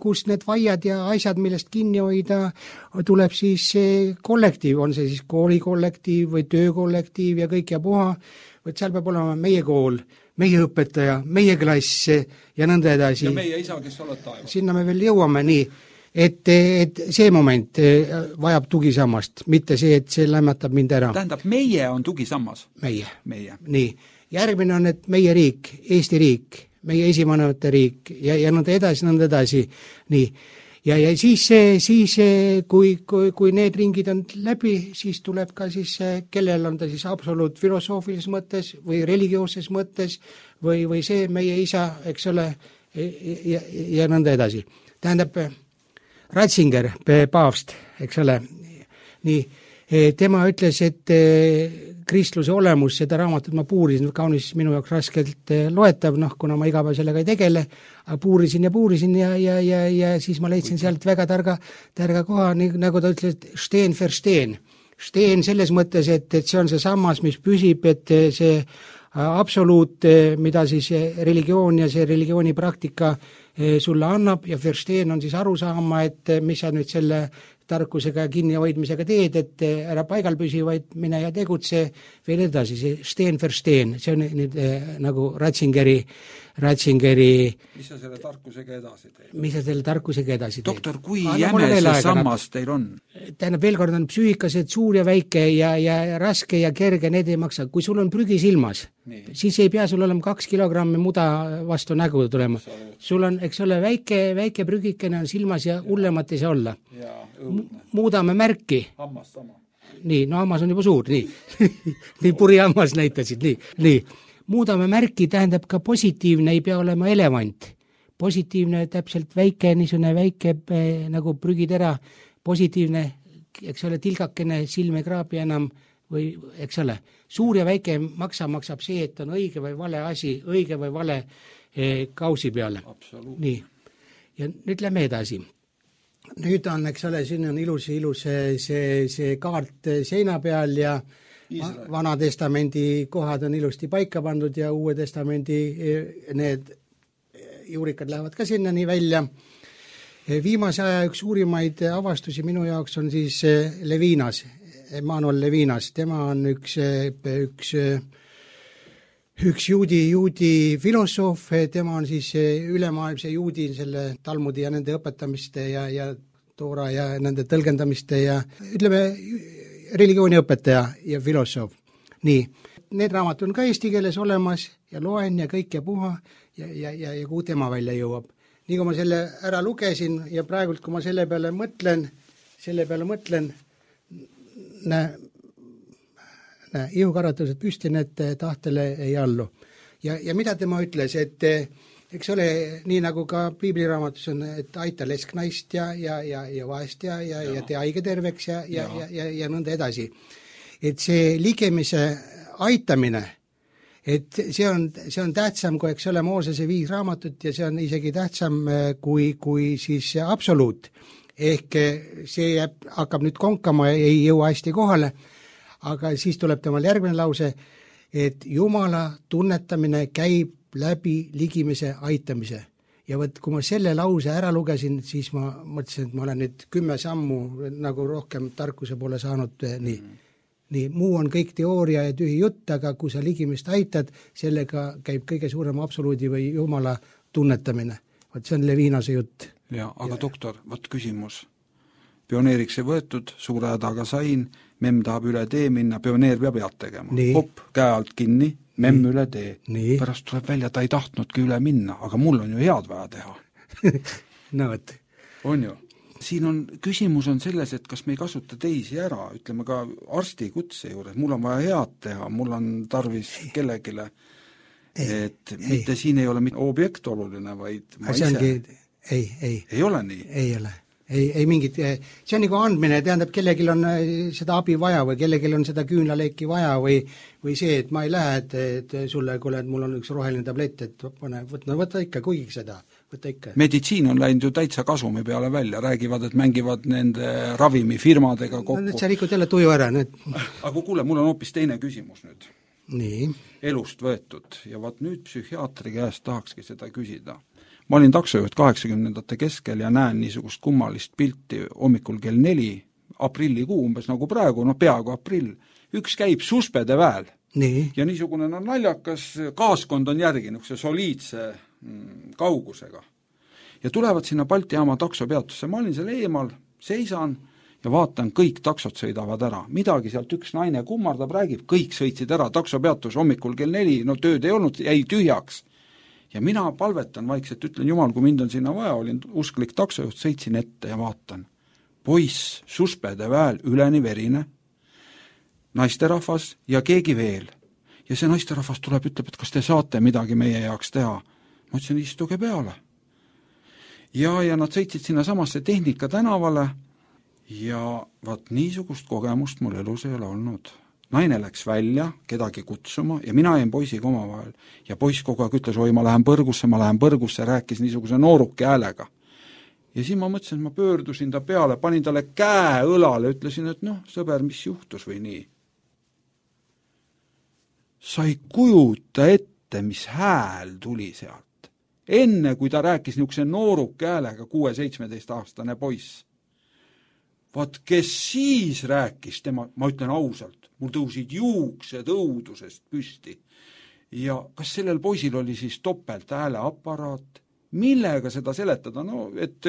kus need vaiad ja asjad, millest kinni hoida, tuleb siis kollektiiv, on see siis koolikollektiiv või töökollektiiv ja kõik ja puha. Võt seal peab olema meie kool, meie õpetaja, meie klass ja nõnda edasi. Ja meie isa, kes oled taevas. Sinna me veel jõuame, nii. Et see moment vajab tugisammast, mitte see, et see lämmatab mind ära. Tähendab, meie on tugisammas? Meie. Nii. Järgmine on, et meie riik, Eesti riik, meie esivanemate riik ja nõnda edasi. Nii. Ja siis kui need ringid on läbi, siis tuleb ka siis, kellel on ta siis absoluut filosoofilises mõttes või religioosses mõttes või see meie isa, eks ole, ja nõnda edasi. Tähendab, Ratzinger, paavst, eks ole, nii, tema ütles, et kristluse olemus, seda raamatut ma puurisin, kaunis minu jaoks raskelt loetav, kuna ma igapäev sellega ei tegele, aga puurisin ja siis ma leidsin sealt väga targa koha, nagu ta ütles, et steen für steen. Steen selles mõttes, et see on see sammas, mis püsib, et see absoluut, mida siis religioon ja see religiooni praktika sulle annab ja Versteen on siis aru saama, et mis sa nüüd selle tarkusega kinnihoidmisega teed, et ära paigal püsi, vaid mine ja tegutse veel edasi, see Steen Versteen, see on nüüd nagu Ratzingeri mis sa selle tarkusega edasi teed? Doktor, kui jäme see sammas teil on? Tähendab, veel kord on psüühikased suur ja väike ja raske ja kerge, need ei maksa. Kui sul on prügi silmas, siis ei pea sul olema 2 kilogrammi muda vastu nägu tulema. Sul on, eks ole, väike prügikene on silmas ja hullemat ei saa olla. Muudame märki. Hammas sama. Nii, no hammas on juba suur, nii. Nii puri hammas näitasid, nii. Muudame märki tähendab ka positiivne, ei pea olema elevant. Positiivne täpselt väike, niisugune väike nagu prügitera, positiivne, eks ole, tilgakene, silm ei kraabi enam või, eks ole, suur ja väike maksab see, et on õige või vale asi, õige või vale kausi peale. Nii. Ja nüüd lähme edasi. Nüüd on, eks ole, siin on ilus see kaart seina peal ja Vana testamendi kohad on ilusti paika pandud ja Uue testamendi need juurikad lähevad ka sinna nii välja. Viimase aja üks suurimaid avastusi minu jaoks on siis Levinas, Emanuel Levinas. Tema on üks juudi filosoof, tema on siis ülemaailmse juudi selle Talmudi ja nende õpetamiste ja Toora ja nende tõlgendamiste ja ütleme religiooniõpetaja ja filosoof. Nii, need raamatud on ka eesti keeles olemas ja loen ja kõik ja puha ja kuhu tema välja jõuab. Nii kui ma selle ära lugesin ja praegult, kui ma selle peale mõtlen, ihukaratused püsti, need tahtele ei allu. Ja mida tema ütles, et eks ole, nii nagu ka piibliraamatus on, et aita lesknaist ja vaest ja tee haige terveks ja nõnda edasi. Et see ligemise aitamine, et see on tähtsam kui, eks ole, Moosese 5 raamatut ja see on isegi tähtsam kui siis absoluut. Ehk see hakkab nüüd konkama ja ei jõua hästi kohale, aga siis tuleb temal järgmine lause, et Jumala tunnetamine käib läbi ligimise aitamise. Ja võt, kui ma selle lause ära lugesin, siis ma mõtlesin, et ma olen nüüd 10 sammu nagu rohkem tarkuse poole saanud. Nii, muu on kõik teooria ja tühi jutt, aga kui sa ligimist aitad, sellega käib kõige suurem absoluudi või Jumala tunnetamine. Võt, see on Levinase jutt. Ja, aga doktor, võt küsimus. pioneeriks ei võetud, suure hädaga sain, memm tahab üle tee minna, pioneer peab head tegema. Hopp, käe alt kinni, memm üle tee. Pärast tuleb välja, ta ei tahtnudki üle minna, aga mul on ju head vaja teha. No võt. On ju. Siin on, küsimus on selles, et kas me ei kasuta teisi ära, ütleme ka arsti kutse juures, mul on vaja head teha, mul on tarvis kellegile, et mitte siin ei ole mitte objekt oluline, vaid ma ise. Ei ole nii? Ei ole. Ei mingit, see on nagu andmine, tähendab, kellelgi on seda abi vaja või kellelgi on seda küünlaleeki vaja või see, et ma ei lähe, et sulle, kuule, et mul on üks roheline tablett, et võta ikka, kuigi seda, võta ikka. Meditsiin on läinud ju täitsa kasumi peale välja, räägivad, et mängivad nende ravimifirmadega kokku. Nüüd sa rikud jälle tuju ära. Aga kuule, mul on hoopis teine küsimus nüüd. Nii. Elust võetud ja vaat nüüd psühhiaatri käest tahakski seda küsida. Ma olin taksojuht 80ndate keskel ja näen niisugust kummalist pilti hommikul kell 4, aprillikuu umbes nagu praegu, peaaegu aprill. Üks käib suspede väel. Nii. Ja niisugune naljakas kaaskond on järgi niisuguse soliidse kaugusega. Ja tulevad sinna Balti jaama taksopeatusse. Ma olin seal eemal, seisan ja vaatan, kõik taksod sõidavad ära. Midagi sealt üks naine kummardab, räägib, kõik sõitsid ära. Taksopeatus hommikul kell 4, tööd ei olnud, jäi tühjaks. Ja mina palvetan vaikselt, ütlen Jumal, kui mind on sinna vaja, olin usklik taksojuht, sõitsin ette ja vaatan. Poiss, suspede väel, üleni verine, naisterahvas ja keegi veel. Ja see naisterahvas tuleb, ütleb, et kas te saate midagi meie jaoks teha. Ma ütlesin, istuge peale. Ja nad sõitsid sinna samasse Tehnika tänavale ja vaat niisugust kogemust mul elus ei ole olnud. Naine läks välja kedagi kutsuma ja mina jäin poisiga omavahel. Ja poiss kogu aeg ütles, oi, ma lähen põrgusse, rääkis niisuguse nooruke häälega. Ja siis ma mõtlesin, et ma pöördusin ta peale, panin talle käe õlale, ütlesin, et sõber, mis juhtus või nii. Sa ei kujuta ette, mis hääl tuli sealt. Enne, kui ta rääkis niisuguse nooruke häälega, 6-17-aastane poiss. Vaat, kes siis rääkis tema, ma ütlen ausalt, mul tõusid juuksed õudusest püsti. Ja kas sellel poisil oli siis topelt hääleaparaat? Millega seda seletada? Et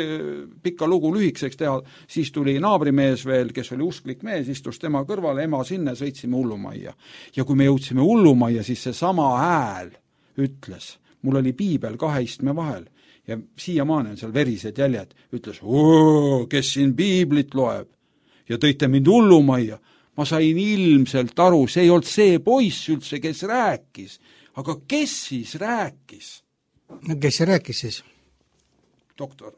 pikka lugu lühikseks teha, siis tuli naabrimees veel, kes oli usklik mees, istus tema kõrvale, ema sinna, sõitsime hullumajja. Ja kui me jõudsime hullumajja, siis see sama hääl ütles, mul oli piibel 2 istme vahel. Ja siiamaani on seal verised jäljed, ütles, kes siin piiblit loeb ja tõite mind hullumajja. Ma sain ilmselt aru, see ei olnud see poiss üldse, kes rääkis, aga kes siis rääkis? No kes see rääkis siis? Doktor,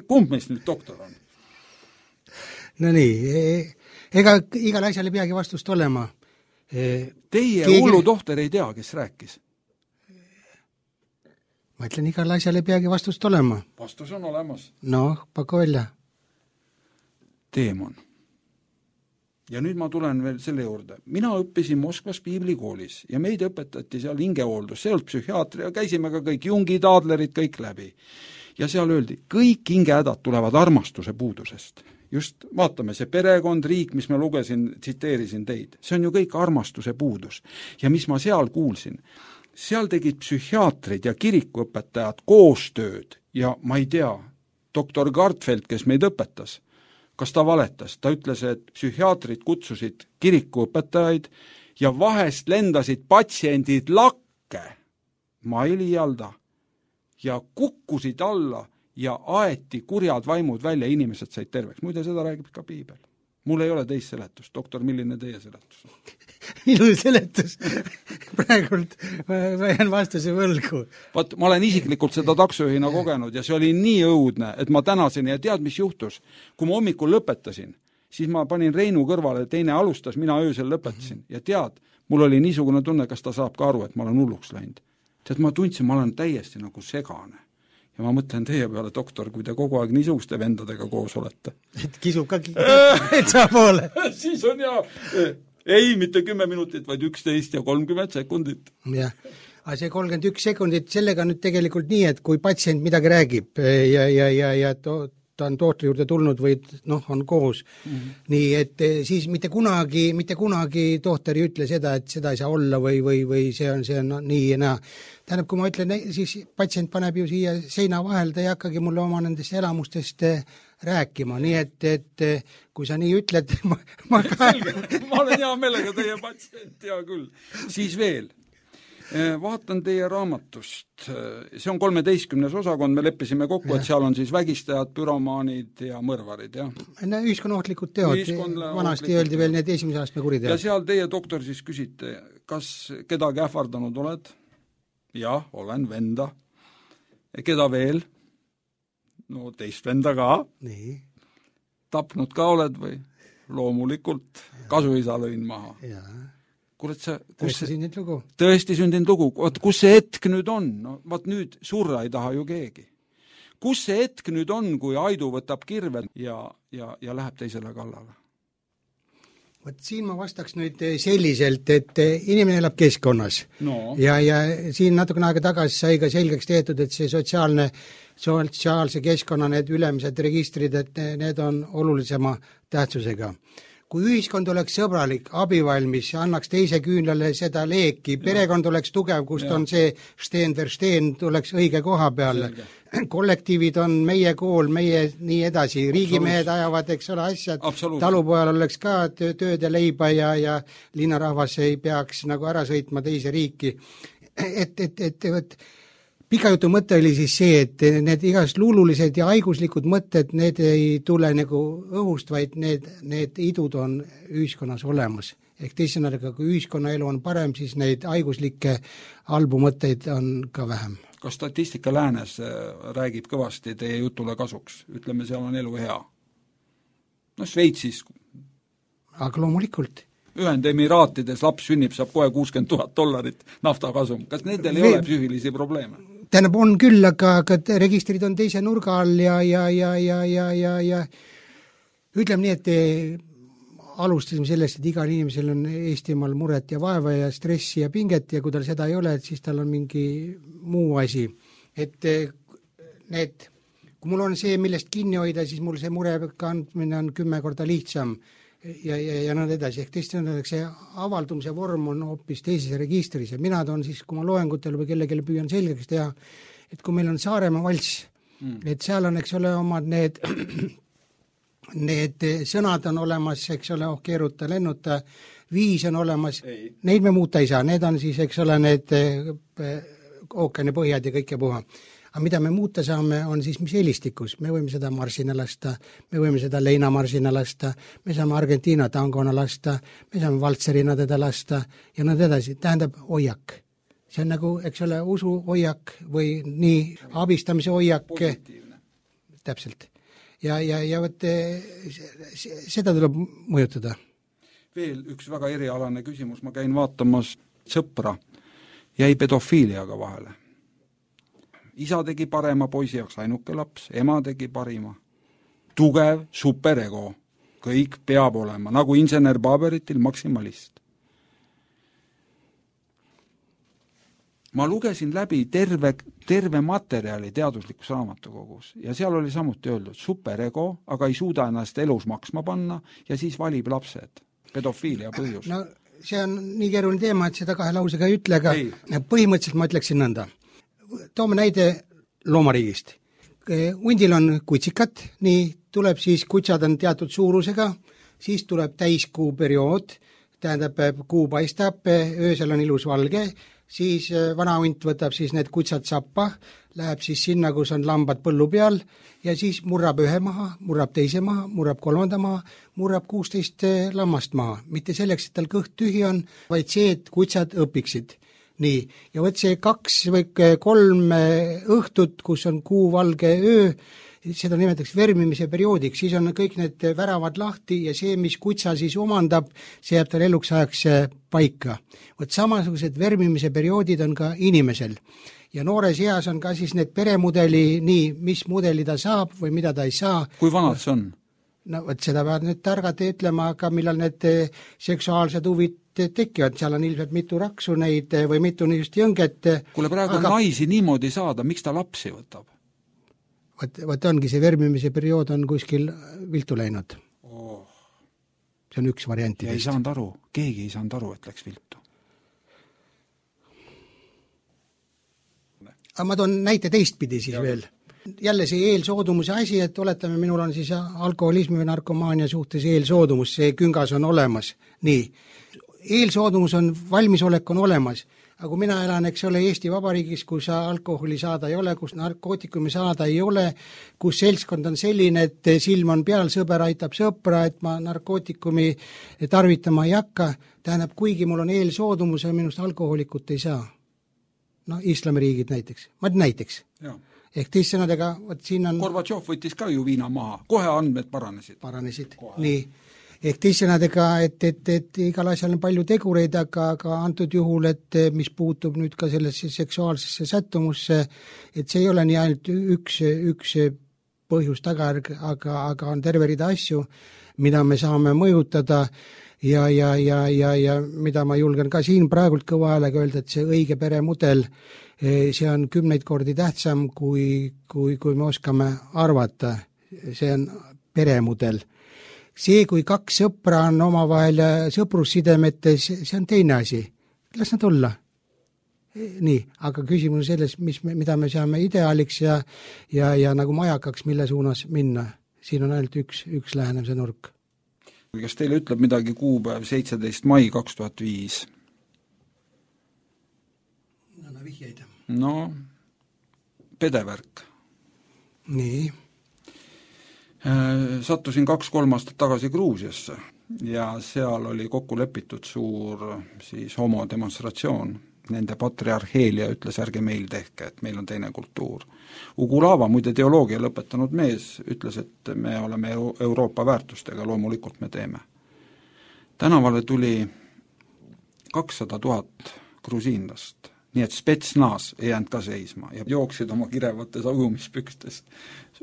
kumb meist nüüd doktor on? No nii, ega igal asjal ei peagi vastust olema. Teie hullu tohter ei tea, kes rääkis? Ma ütlen, igal asjal ei peagi vastust olema. Vastus on olemas. No, paku välja. Teemon. Ja nüüd ma tulen veel selle juurde. Mina õppisin Moskvas piiblikoolis ja meid õpetati seal hingehooldus, see olnud psühhiaatria, käisime ka kõik Jungi, Taadlerid, kõik läbi. Ja seal öeldi, kõik hingehädad tulevad armastuse puudusest. Just vaatame, see perekond, riik, mis ma lugesin, tsiteerisin teid, see on ju kõik armastuse puudus. Ja mis ma seal kuulsin? Seal tegid psühhiaatrid ja kirikuõpetajad koostööd ja ma ei tea, doktor Gartfeld, kes meid õpetas, kas ta valetas? Ta ütles, et psühhiaatrid kutsusid kirikuõpetajaid ja vahest lendasid patsiendid lakke, ma ei liialda, ja kukkusid alla ja aeti kurjad vaimud välja, inimesed said terveks. Muide, seda räägib ka piibel. Mul ei ole teist seletust. Doktor, milline teie seletus? Minu seletus praegult ma jään vastuse võlgu. Vaat, ma olen isiklikult seda taksojuhina kogenud ja see oli nii õudne, et ma tänasin ja tead, mis juhtus? Kui ma hommikul lõpetasin, siis ma panin Reinu kõrvale, teine alustas, mina öösel lõpetasin ja tead, mul oli niisugune tunne, kas ta saab ka aru, et ma olen hulluks läinud. Tead, ma tundsin, ma olen täiesti nagu segane. Ja ma mõtlen teie peale, doktor, kui te kogu aeg niisuguste vendadega koos olete. Et kisub ka etsa poole. Siis on ei, mitte 10 minutit, vaid 11 ja 30 sekundit. Jah, aga see 31 sekundit, sellega nüüd tegelikult nii, et kui patsient midagi räägib ja ta on tohtri juurde tulnud või on koos. Nii, et siis mitte kunagi tohter ei ütle seda, et seda ei saa olla või see on nii ja naa. Tähendab, kui ma ütlen, siis patsient paneb ju siia seina vahel, ta ei hakkagi mulle oma nendest elamustest rääkima, nii et kui sa nii ütled, ma olen hea meelega teie patsient, hea küll. Siis veel. Vaatan teie raamatust, see on 13. osakond, me leppisime kokku, et seal on siis vägistajad, püromaanid ja mõrvarid, jah? Ühiskonnaohtlikud teod, vanasti öeldi veel need esimese astme kuriteod. Ja seal teie doktor siis küsite, kas kedagi ähvardanud oled? Jah, olen venda. Keda veel? No teist venda ka. Nii. Tapnud ka oled või? Loomulikult. Kasuisa lõin maha. Jaa. Kurat, tõesti sündinud lugu. Kus see hetk nüüd on? No, vaat nüüd surra ei taha ju keegi. Kus see hetk nüüd on, kui Aidu võtab kirve ja läheb teisele kallale? Võt siin ma vastaks nüüd selliselt, et inimene elab keskkonnas. No. Ja siin natukene aega tagasi sai ka selgeks tehtud, et see sotsiaalse keskkonna need ülemised registrid, et need on olulisema tähtsusega. Kui ühiskond oleks sõbralik, abivalmis, annaks teise küünlale seda leeki, perekond oleks tugev, kust on see steen ver steen, tuleks õige koha peale. Kollektiivid on meie kool, meie nii edasi, riigimehed ajavad, eks ole, asjad, talupojal oleks ka tööd ja leiba ja linnarahvas ei peaks nagu ära sõitma teise riiki. Pika jutu mõte oli siis see, et need igast luululised ja haiguslikud mõtted, need ei tule nagu õhust, vaid need idud on ühiskonnas olemas. Ehk teisõnaga, kui ühiskonnaelu on parem, siis neid haiguslikke halbu mõtteid on ka vähem. Kas statistika läänes räägib kõvasti teie jutule kasuks? Ütleme, seal on elu hea. No Šveitsis. Aga loomulikult. Ühendemiraatides laps sünnib, saab kohe $60,000 naftakasum. Kas nendel ei ole psüühilisi probleeme? Tähendab, on küll, aga registrid on teise nurga all ja ütleme nii, et alustasime sellest, et igal inimesel on Eestimaal muret ja vaeva ja stressi ja pinget ja kui tal seda ei ole, et siis tal on mingi muu asi. Et kui mul on see, millest kinni hoida, siis mul see mure kandmine on 10 korda lihtsam ja nõnda edasi. Ehk teisest see avaldumise vorm on hoopis teises registris ja mina toon siis, kui ma loengutel või kellelegi püüan selgeks teha, et kui meil on Saaremaa valss, et seal on, eks ole, omad need sõnad on olemas, eks ole, keeruta, lennuta, viis on olemas, neid me muuta ei saa, need on siis, eks ole, need ookeani põhjad ja kõike puha. Aga mida me muuta saame, on siis mis helistikus. Me võime seda marsina lasta, me võime seda leinamarsina lasta, me saame Argentiina tangona lasta, me saame valtserina teda lasta ja nõnda edasi. Tähendab hoiak. See on nagu, eks ole, usu hoiak või nii abistamise hoiak. Positiivne. Täpselt. Ja võt, seda tuleb mõjutada. Veel üks väga erialane küsimus. Ma käin vaatamas sõpra. Jäi pedofiiliaga vahele. Isa tegi parema poisi jaoks ainuke laps, ema tegi parima. Tugev superego. Kõik peab olema, nagu insener Baberitil maksimalist. Ma lugesin läbi terve materjali teaduslikus raamatukogus ja seal oli samuti öeldud superego, aga ei suuda ennast elus maksma panna ja siis valib lapsed. Pedofiilia põhjus. No see on nii keeruline teema, et seda kahe lausega ei ütle, aga põhimõtteliselt ma ütleksin nõnda. Toome näide loomariigist. Hundil on kutsikat, nii tuleb siis, kutsad on teatud suurusega, siis tuleb täiskuu periood, tähendab, kuu paistab, öösel on ilus valge, siis vana hunt võtab siis need kutsad sappa, läheb siis sinna, kus on lambad põllu peal ja siis murrab ühe maha, murrab teise maha, murrab kolmanda maha, murrab 16 lammast maha. Mitte selleks, et tal kõht tühi on, vaid see, et kutsad õpiksid. Nii, ja võt see 2 või 3 õhtut, kus on kuu valge öö, seda nimetatakse vermimise perioodiks, siis on kõik need väravad lahti ja see, mis kutsa siis omandab, see jääb tal eluks ajaks paika. Võt samasugused vermimise perioodid on ka inimesel. Ja noores eas on ka siis need peremudeli, nii, mis mudeli ta saab või mida ta ei saa. Kui vanad see on? No võt seda peavad nüüd targad ütlema, aga millal need seksuaalsed huvid tekivad, seal on ilmselt mitu raksu neid või mitu niisugust jõnget. Kuule, praegu naisi niimoodi saada, miks ta lapsi võtab? Vaat ongi see vermimise periood on kuskil viltu läinud. See on üks variantidest. Ja ei saanud aru, keegi ei saanud aru, et läks viltu. Aga ma toon näite teistpidi siis veel. Jälle see eelsoodumuse asi, et oletame, minul on siis alkoholismi või narkomaania suhtes eelsoodumus, see küngas on olemas. Nii, eelsoodumus on, valmisolek on olemas, aga kui mina elan, eks ole, Eesti Vabariigis, kus alkoholi saada ei ole, kus narkootikumi saada ei ole, kus seltskond on selline, et silm on peal, sõber aitab sõpra, et ma narkootikumi tarvitama ei hakka, tähendab, kuigi mul on eelsoodumus ja minust alkoholikut ei saa. No, islamiriigid näiteks. Näiteks. Jaa. Ehk teissõnadega, siin on... Gorbatšov võttis ka ju viina maha, kohe andmed paranesid. Kohe. Nii. Ehk teissõnadega, et igal asjal on palju tegureid, aga antud juhul, et mis puutub nüüd ka sellesse seksuaalsesse sättumusse, et see ei ole nii ainult üks põhjus tagajärg, aga on terve rida asju, mida me saame mõjutada ja mida ma julgen ka siin praegult kõva häälega öelda, et see õige peremudel, see on 10 kordi tähtsam, kui me oskame arvata. See on peremudel. See, kui 2 sõpra on omavahel sõprussidemetes, see on teine asi. Las nad olla. Nii, aga küsimus on selles, mida me saame ideaaliks ja nagu majakaks, mille suunas minna. Siin on ainult üks lähenemise nurk. Kas teile ütleb midagi kuupäev 17. mai 2005? Vihjeid. No, pedevärk. Nii. Sattusin 2-3 aastat tagasi Gruusiasse ja seal oli kokku lepitud suur siis homodemonstratsioon. Nende patriarheelia ütles, ärge meil tehke, et meil on teine kultuur. Ugulava, muide teoloogia lõpetanud mees, ütles, et me oleme Euroopa väärtustega, loomulikult me teeme. Tänavale tuli 200 000 grusiinlast. Nii et Spetsnaz ei jäänud ka seisma ja jooksid oma kirevates ujumispükstes.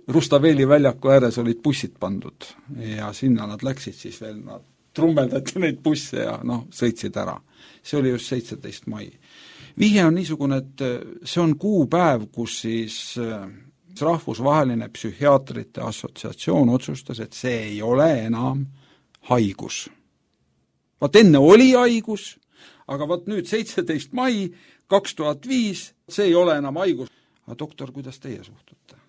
Rustaveli väljaku ääres olid bussid pandud ja sinna nad läksid siis veel, nad trummeldati neid busse ja sõitsid ära. See oli just 17. mai. Vihje on niisugune, et see on kuupäev, kus siis rahvusvaheline psühhiaatrite assotsiatsioon otsustas, et see ei ole enam haigus. Vaat enne oli haigus, aga vaat nüüd 17. mai 2005, see ei ole enam haigus. Aga doktor, kuidas teie suhtute?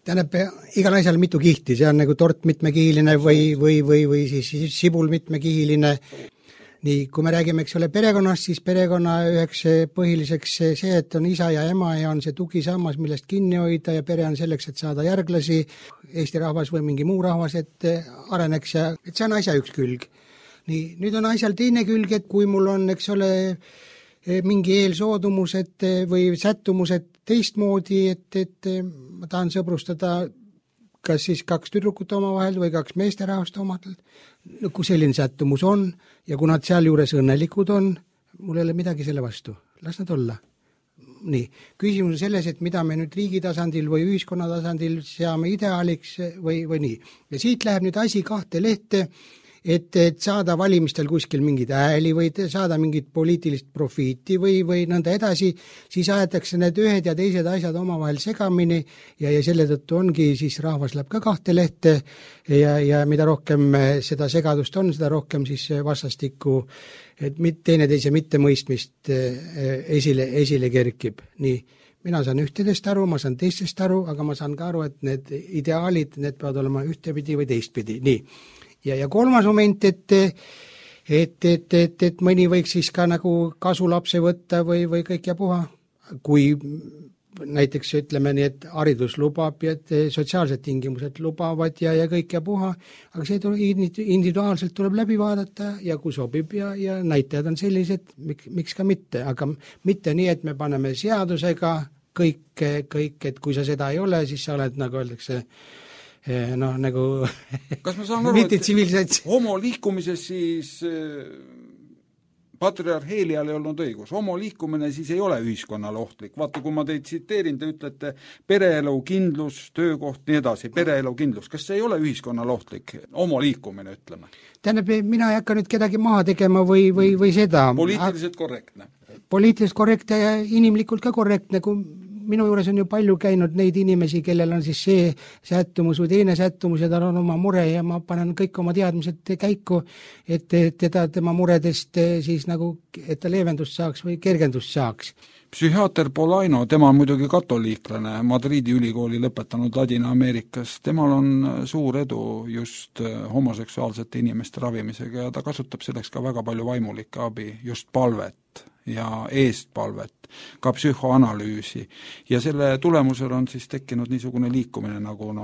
Tähendab, igal asjal mitu kihti, see on nagu tort mitmekihiline või siis sibul mitmekihiline. Nii, kui me räägime, eks ole, perekonnast, siis perekonna üheks põhiliseks see, et on isa ja ema ja on see tugisammas, millest kinni hoida ja pere on selleks, et saada järglasi, Eesti rahvas või mingi muu rahvas, et areneks ja et see on asja üks külg. Nii, nüüd on asjal teine külg, et kui mul on, eks ole, mingi eelsoodumused või sättumused teistmoodi, et ma tahan sõbrustada kas siis 2 tüdrukut omavahel või 2 meesterahvast omadel, kui selline sättumus on ja kui nad seal juures õnnelikud on, mul ei ole midagi selle vastu, las nad olla. Nii, küsimus on selles, et mida me nüüd riigi tasandil või ühiskonna tasandil seame ideaaliks või nii. Ja siit läheb nüüd asi 2 lehte, et saada valimistel kuskil mingid ääli või saada mingit poliitilist profiiti või nõnda edasi, siis aetakse need ühed ja teised asjad omavahel segamini ja selle tõttu ongi, siis rahvas läheb ka 2 lehte ja mida rohkem seda segadust on, seda rohkem siis vastastikku, et teineteise mittemõistmist esile kerkib. Nii, mina saan ühtedest aru, ma saan teistest aru, aga ma saan ka aru, et need ideaalid, need peavad olema ühtepidi või teistpidi. Nii. Ja 3. moment, et mõni võiks siis ka nagu kasulapse võtta või kõik ja puha. Kui näiteks ütleme nii, et haridus lubab ja et sotsiaalsed tingimused lubavad ja kõik ja puha, aga see individuaalselt tuleb läbi vaadata ja kui sobib ja näitajad on sellised, miks ka mitte, aga mitte nii, et me paneme seadusega kõik, et kui sa seda ei ole, siis sa oled, nagu öeldakse, nagu kas ma saan aru, et homo liikumises siis patriarheelial ei olnud õigus. Homo liikumine siis ei ole ühiskonnale ohtlik. Vaata, kui ma teid tsiteerin, te ütlete pereelu kindlus, töökoht, nii edasi, pereelu kindlus. Kas see ei ole ühiskonnale ohtlik? Homo liikumine, ütleme. Tähendab, mina ei hakka nüüd kedagi maha tegema või seda. Poliitiliselt korrektne. Poliitiliselt korrektne ja inimlikult ka korrektne, kui minu juures on ju palju käinud neid inimesi, kellel on siis see sättumus või teine sättumus ja tal on oma mure ja ma panen kõik oma teadmised käiku, et teda tema muredest siis nagu, et ta leevendust saaks või kergendust saaks. Psühhiaater Polaino, tema on muidugi katoliiklane, Madridi ülikooli lõpetanud Ladina-Ameerikas, temal on suur edu just homoseksuaalsete inimeste ravimisega ja ta kasutab selleks ka väga palju vaimulikke abi, just palvet ja eestpalvet, ka psühhoanalüüsi ja selle tulemusel on siis tekkinud niisugune liikumine nagu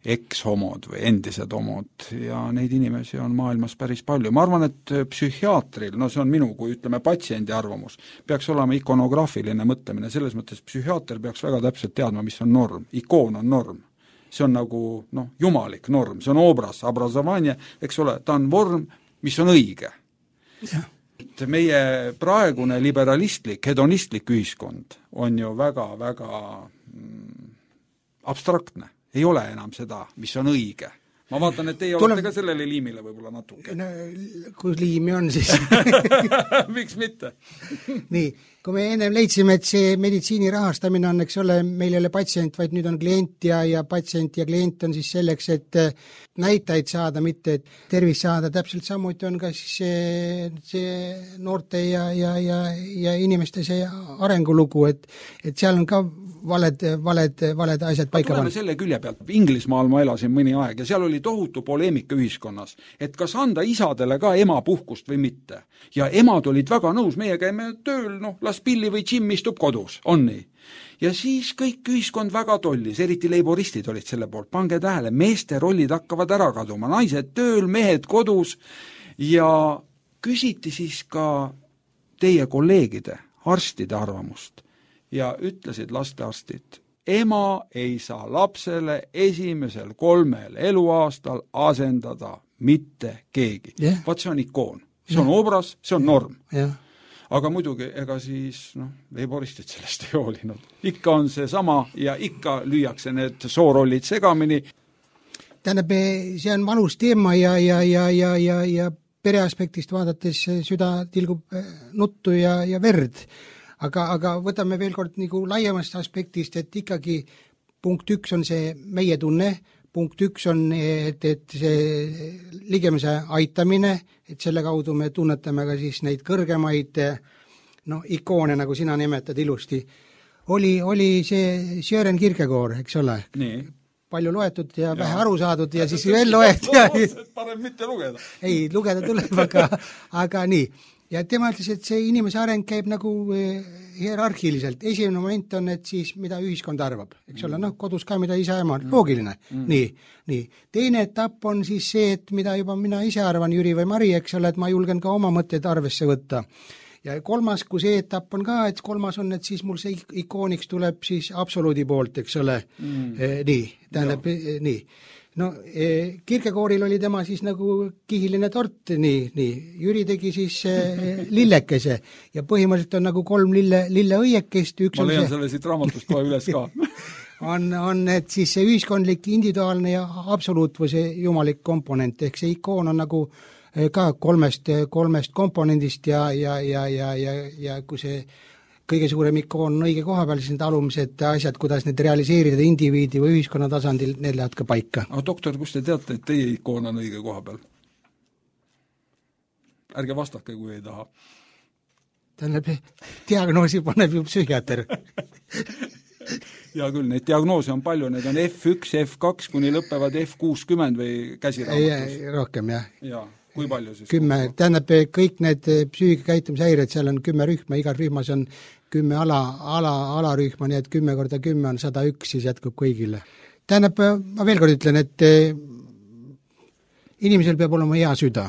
eks-homod või endised homod ja neid inimesi on maailmas päris palju. Ma arvan, et psühhiaatril, see on minu kui ütleme patsiendi arvamus, peaks olema ikonograafiline mõtlemine, selles mõttes psühhiaater peaks väga täpselt teadma, mis on norm. Ikoon on norm. See on nagu jumalik norm, see on obraz, obrazovanje, eks ole, ta on vorm, mis on õige. Meie praegune liberalistlik, hedonistlik ühiskond on ju väga-väga abstraktne. Ei ole enam seda, mis on õige. Ma vaatan, et teie olete ka sellele liimile võib-olla natuke. Kui liimi on, siis miks mitte? Nii, kui me ennem leidsime, et see meditsiini rahastamine on, eks ole, meil ei ole patsient, vaid nüüd on klient ja patsient ja klient on siis selleks, et näitajaid saada, mitte et tervis saada, täpselt samuti on ka siis see noorte ja inimeste see arengulugu, et seal on ka valed asjad paika pannud. Selle külje pealt, Inglismaal ma elasin mõni aeg ja seal oli tohutu poleemika ühiskonnas, et kas anda isadele ka emapuhkust või mitte. Ja emad olid väga nõus, meie käime tööl, las Pilli või Jim istub kodus, on nii. Ja siis kõik ühiskond väga tollis, eriti leiboristid olid selle poolt, pange tähele, meeste rollid hakkavad ära kaduma, naised tööl, mehed kodus ja küsiti siis ka teie kolleegide, arstide arvamust. Ja ütlesid lastearstid, ema ei saa lapsele esimesel 3 eluaastal asendada mitte keegi. Vaat see on ikoon, see on obraz, see on norm. Aga muidugi, ega siis leiboristid sellest ei hoolinud. Ikka on see sama ja ikka lüüakse need soorollid segamini. Tähendab, see on valus teema ja pereaspektist vaadates süda tilgub nuttu ja verd. Aga võtame veel kord nagu laiemast aspektist, et ikkagi punkt 1 on see meie tunne, punkt 1 on, et see ligemuse aitamine, et selle kaudu me tunnetame ka siis neid kõrgemaid ikoone, nagu sina nimetad ilusti. Oli see Søren Kierkegaard, eks ole? Nii. Palju loetud ja vähe aru saadud ja siis veel loetud. Parem mitte lugeda. Ei, lugeda tuleb, aga nii. Ja tema ütles, et see inimese areng käib nagu hierarhiliselt. Esimene moment on, et siis mida ühiskond arvab. Eks ole, kodus ka mida isa ema, loogiline. Nii. Teine etapp on siis see, et mida juba mina ise arvan, Jüri või Mari, eks ole, et ma julgen ka oma mõtteid arvesse võtta. Ja kolmas, kui see etapp on ka, et kolmas on, et siis mul see ikooniks tuleb siis absoluudi poolt, eks ole. Nii, tähendab, nii. Kierkegaardil oli tema siis nagu kihiline tort, nii. Jüri tegi siis lillekese ja põhimõtteliselt on nagu 3 lilleõiekest. Ma leian selle siit raamatust kohe üles ka. on, et siis see ühiskondlik, individuaalne ja absoluut või see jumalik komponent, ehk see ikoon on nagu ka kolmest komponendist ja kui see kõige suurem ikoon on õige koha peal, siis need alumised asjad, kuidas need realiseerida indiviidi või ühiskonna tasandil, need lähevad ka paika. Aga doktor, kus te teate, et teie ikoon on õige koha peal? Ärge vastake, kui ei taha. Tähendab, diagnoosi paneb ju psühhiaater. Ja küll, neid diagnoose on palju, need on F1, F2, kuni lõppevad F60 või käsiraamatus. Rohkem, jah. Jaa. Kui palju siis? 10, tähendab, kõik need psüügikäitumishäired, seal on 10 rühma, igal rühmas on 10 alarühma, nii et 10 korda 10 on 101, siis jätkub kõigile. Tähendab, ma veel kord ütlen, et inimesel peab olema hea süda.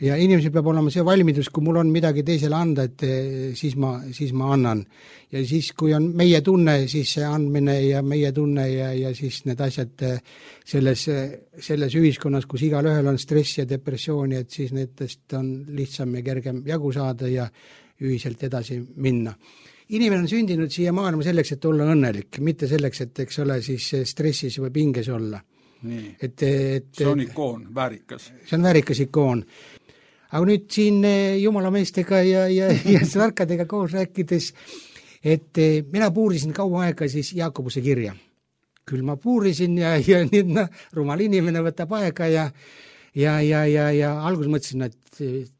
Ja inimesel peab olema see valmidus, kui mul on midagi teisele anda, et siis ma annan. Ja siis, kui on meie tunne, siis see andmine ja meie tunne ja siis need asjad selles ühiskonnas, kus igal ühel on stress ja depressiooni, et siis nendest on lihtsam ja kergem jagu saada ja ühiselt edasi minna. Inimene on sündinud siia maailma selleks, et olla õnnelik, mitte selleks, et eks ole siis stressis või pinges olla. Nii. See on ikoon, väärikas. See on väärikas ikoon. Aga nüüd siin jumalameestega ja tarkadega koos rääkides, et mina puurisin kaua aega siis Jaakobuse kirja. Küll ma puurisin ja nüüd rumal inimene võtab aega ja alguses mõtlesin, et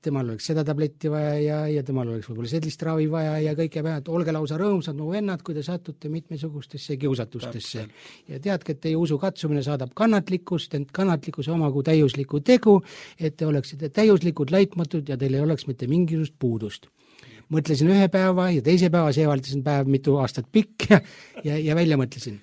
temal oleks seda tabletti vaja ja temal oleks võib-olla sellist ravi vaja ja kõike vaja, et olge lausa rõõmsad mu vennad, kui te satute mitmesugustesse kiusatustesse. Ja teadke, et teie usu katsumine saadab kannatlikkust, ent kannatlikkus omagu täiuslikku tegu, et te oleksite täiuslikud, laitmatud ja teil ei oleks mitte mingisugust puudust. Mõtlesin ühe päeva ja teise päeva, seevaldasin päev mitu aastat pikk ja välja mõtlesin.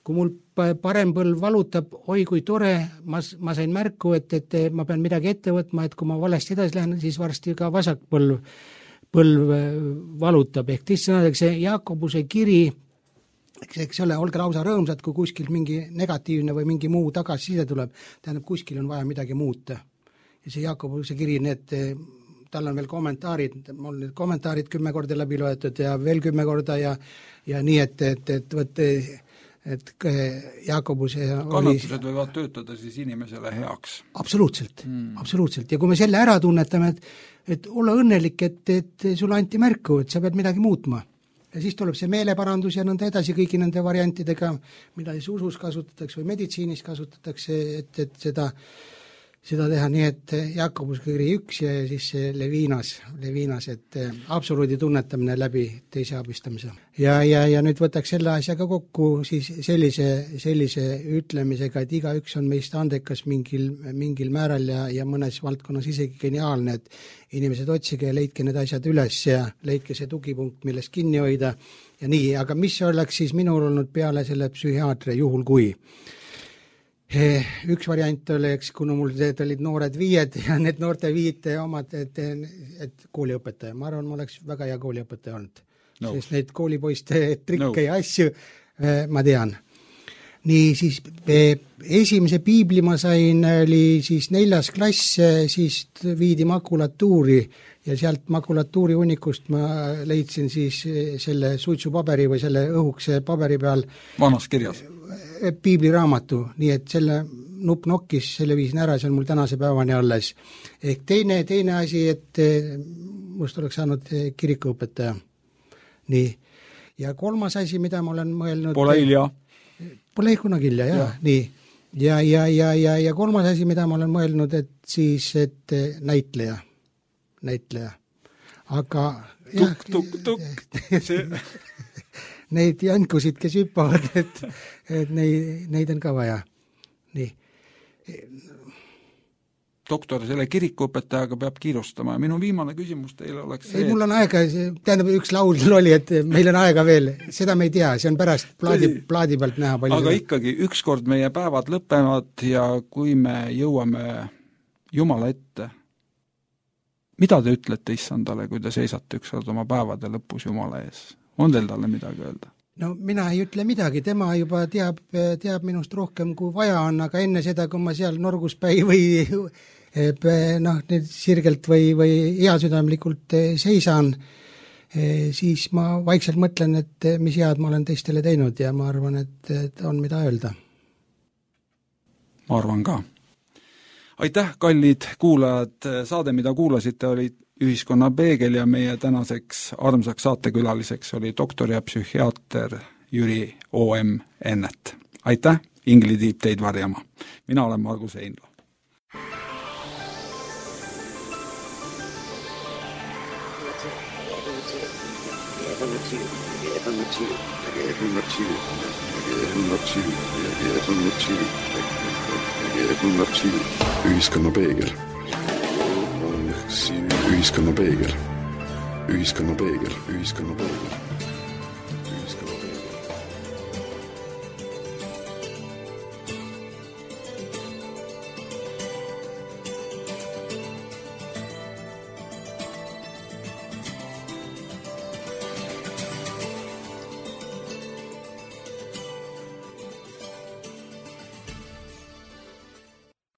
Kui mul parem põlv valutab, oi kui tore, ma sain märku, et ma pean midagi ette võtma, et kui ma valesti edasi lähen, siis varsti ka vasak põlv valutab. Ehk sõnadeks see Jaakobuse kiri, eks ole, olge lausa rõõmsad, kui kuskil mingi negatiivne või mingi muu tagasiside tuleb, tähendab, kuskil on vaja midagi muuta. Ja see Jaakobuse kiri, tal on veel kommentaarid, mul need kommentaarid 10 korda läbi loetud ja veel 10 korda ja nii, et Jaakobuse kannatused võivad töötada siis inimesele heaks. Absoluutselt, absoluutselt. Ja kui me selle ära tunnetame, et olla õnnelik, et sulle anti märku, et sa pead midagi muutma. Ja siis tuleb see meeleparandus ja nõnda edasi kõigi nende variantidega, mida siis usus kasutatakse või meditsiinis kasutatakse, et seda teha, nii et Jaakobuse kiri 1 ja siis see Levinas, et absoluudi tunnetamine läbi teise abistamise. Ja nüüd võtaks selle asjaga kokku siis sellise ütlemisega, et igaüks on meist andekas mingil määral ja mõnes valdkonnas isegi geniaalne, et inimesed otsige ja leidke need asjad üles ja leidke see tugipunkt, millest kinni hoida ja nii, aga mis oleks siis minul olnud peale selle psühhiaatri juhul kui? Üks variant oli, kuna mul olid noored viied ja need noorte viite omad, et kooliõpetaja. Ma arvan, ma oleks väga hea kooliõpetaja olnud. Sest neid koolipoiste trikke ja asju ma tean. Nii, siis esimese piibli ma sain, oli siis 4. klass, siis viidi makulatuuri ja sealt makulatuuri hunnikust ma leidsin siis selle suitsupaberi või selle õhukese paberi peal vanas kirjas piibliraamatu, nii et selle nupp nokkis, selle viisin ära, see on mul tänase päevani alles. Ehk teine asi, et must oleks saanud kirikuõpetaja. Nii. Ja 3. asi, mida ma olen mõelnud... Pole hilja. Pole kunagi hilja, jah. Nii. Ja 3. asi, mida ma olen mõelnud, et siis, et näitleja. Aga... Tuk. See... Neid jankusid, kes hüppavad, et neid on ka vaja. Nii. Doktor, selle kirikuõpetajaga peab kiirustama. Minu viimane küsimus teile oleks see... Ei, mul on aega, tähendab üks laul oli, et meil on aega veel. Seda me ei tea, see on pärast plaadi pealt näha palju. Aga ikkagi, ükskord meie päevad lõpevad ja kui me jõuame Jumala ette, mida te ütlete issandale, kui te seisate ükskord oma päevade lõpus Jumala ees? On teil talle midagi öelda? No mina ei ütle midagi, tema juba teab minust rohkem kui vaja on, aga enne seda, kui ma seal norguspäi või sirgelt või heasüdamlikult seisan, siis ma vaikselt mõtlen, et mis head ma olen teistele teinud ja ma arvan, et on mida öelda. Ma arvan ka. Aitäh, kallid kuulajad, saade, mida kuulasite, oli Ühiskonna peegel ja meie tänaseks armsaks saatekülaliseks oli doktor ja psühhiaater Jüri O.M. Ennet. Aitäh, Ingli Tiip teid varjama. Mina olen Margus Einla. Ühiskonna peegel. Ühiskonna peegel.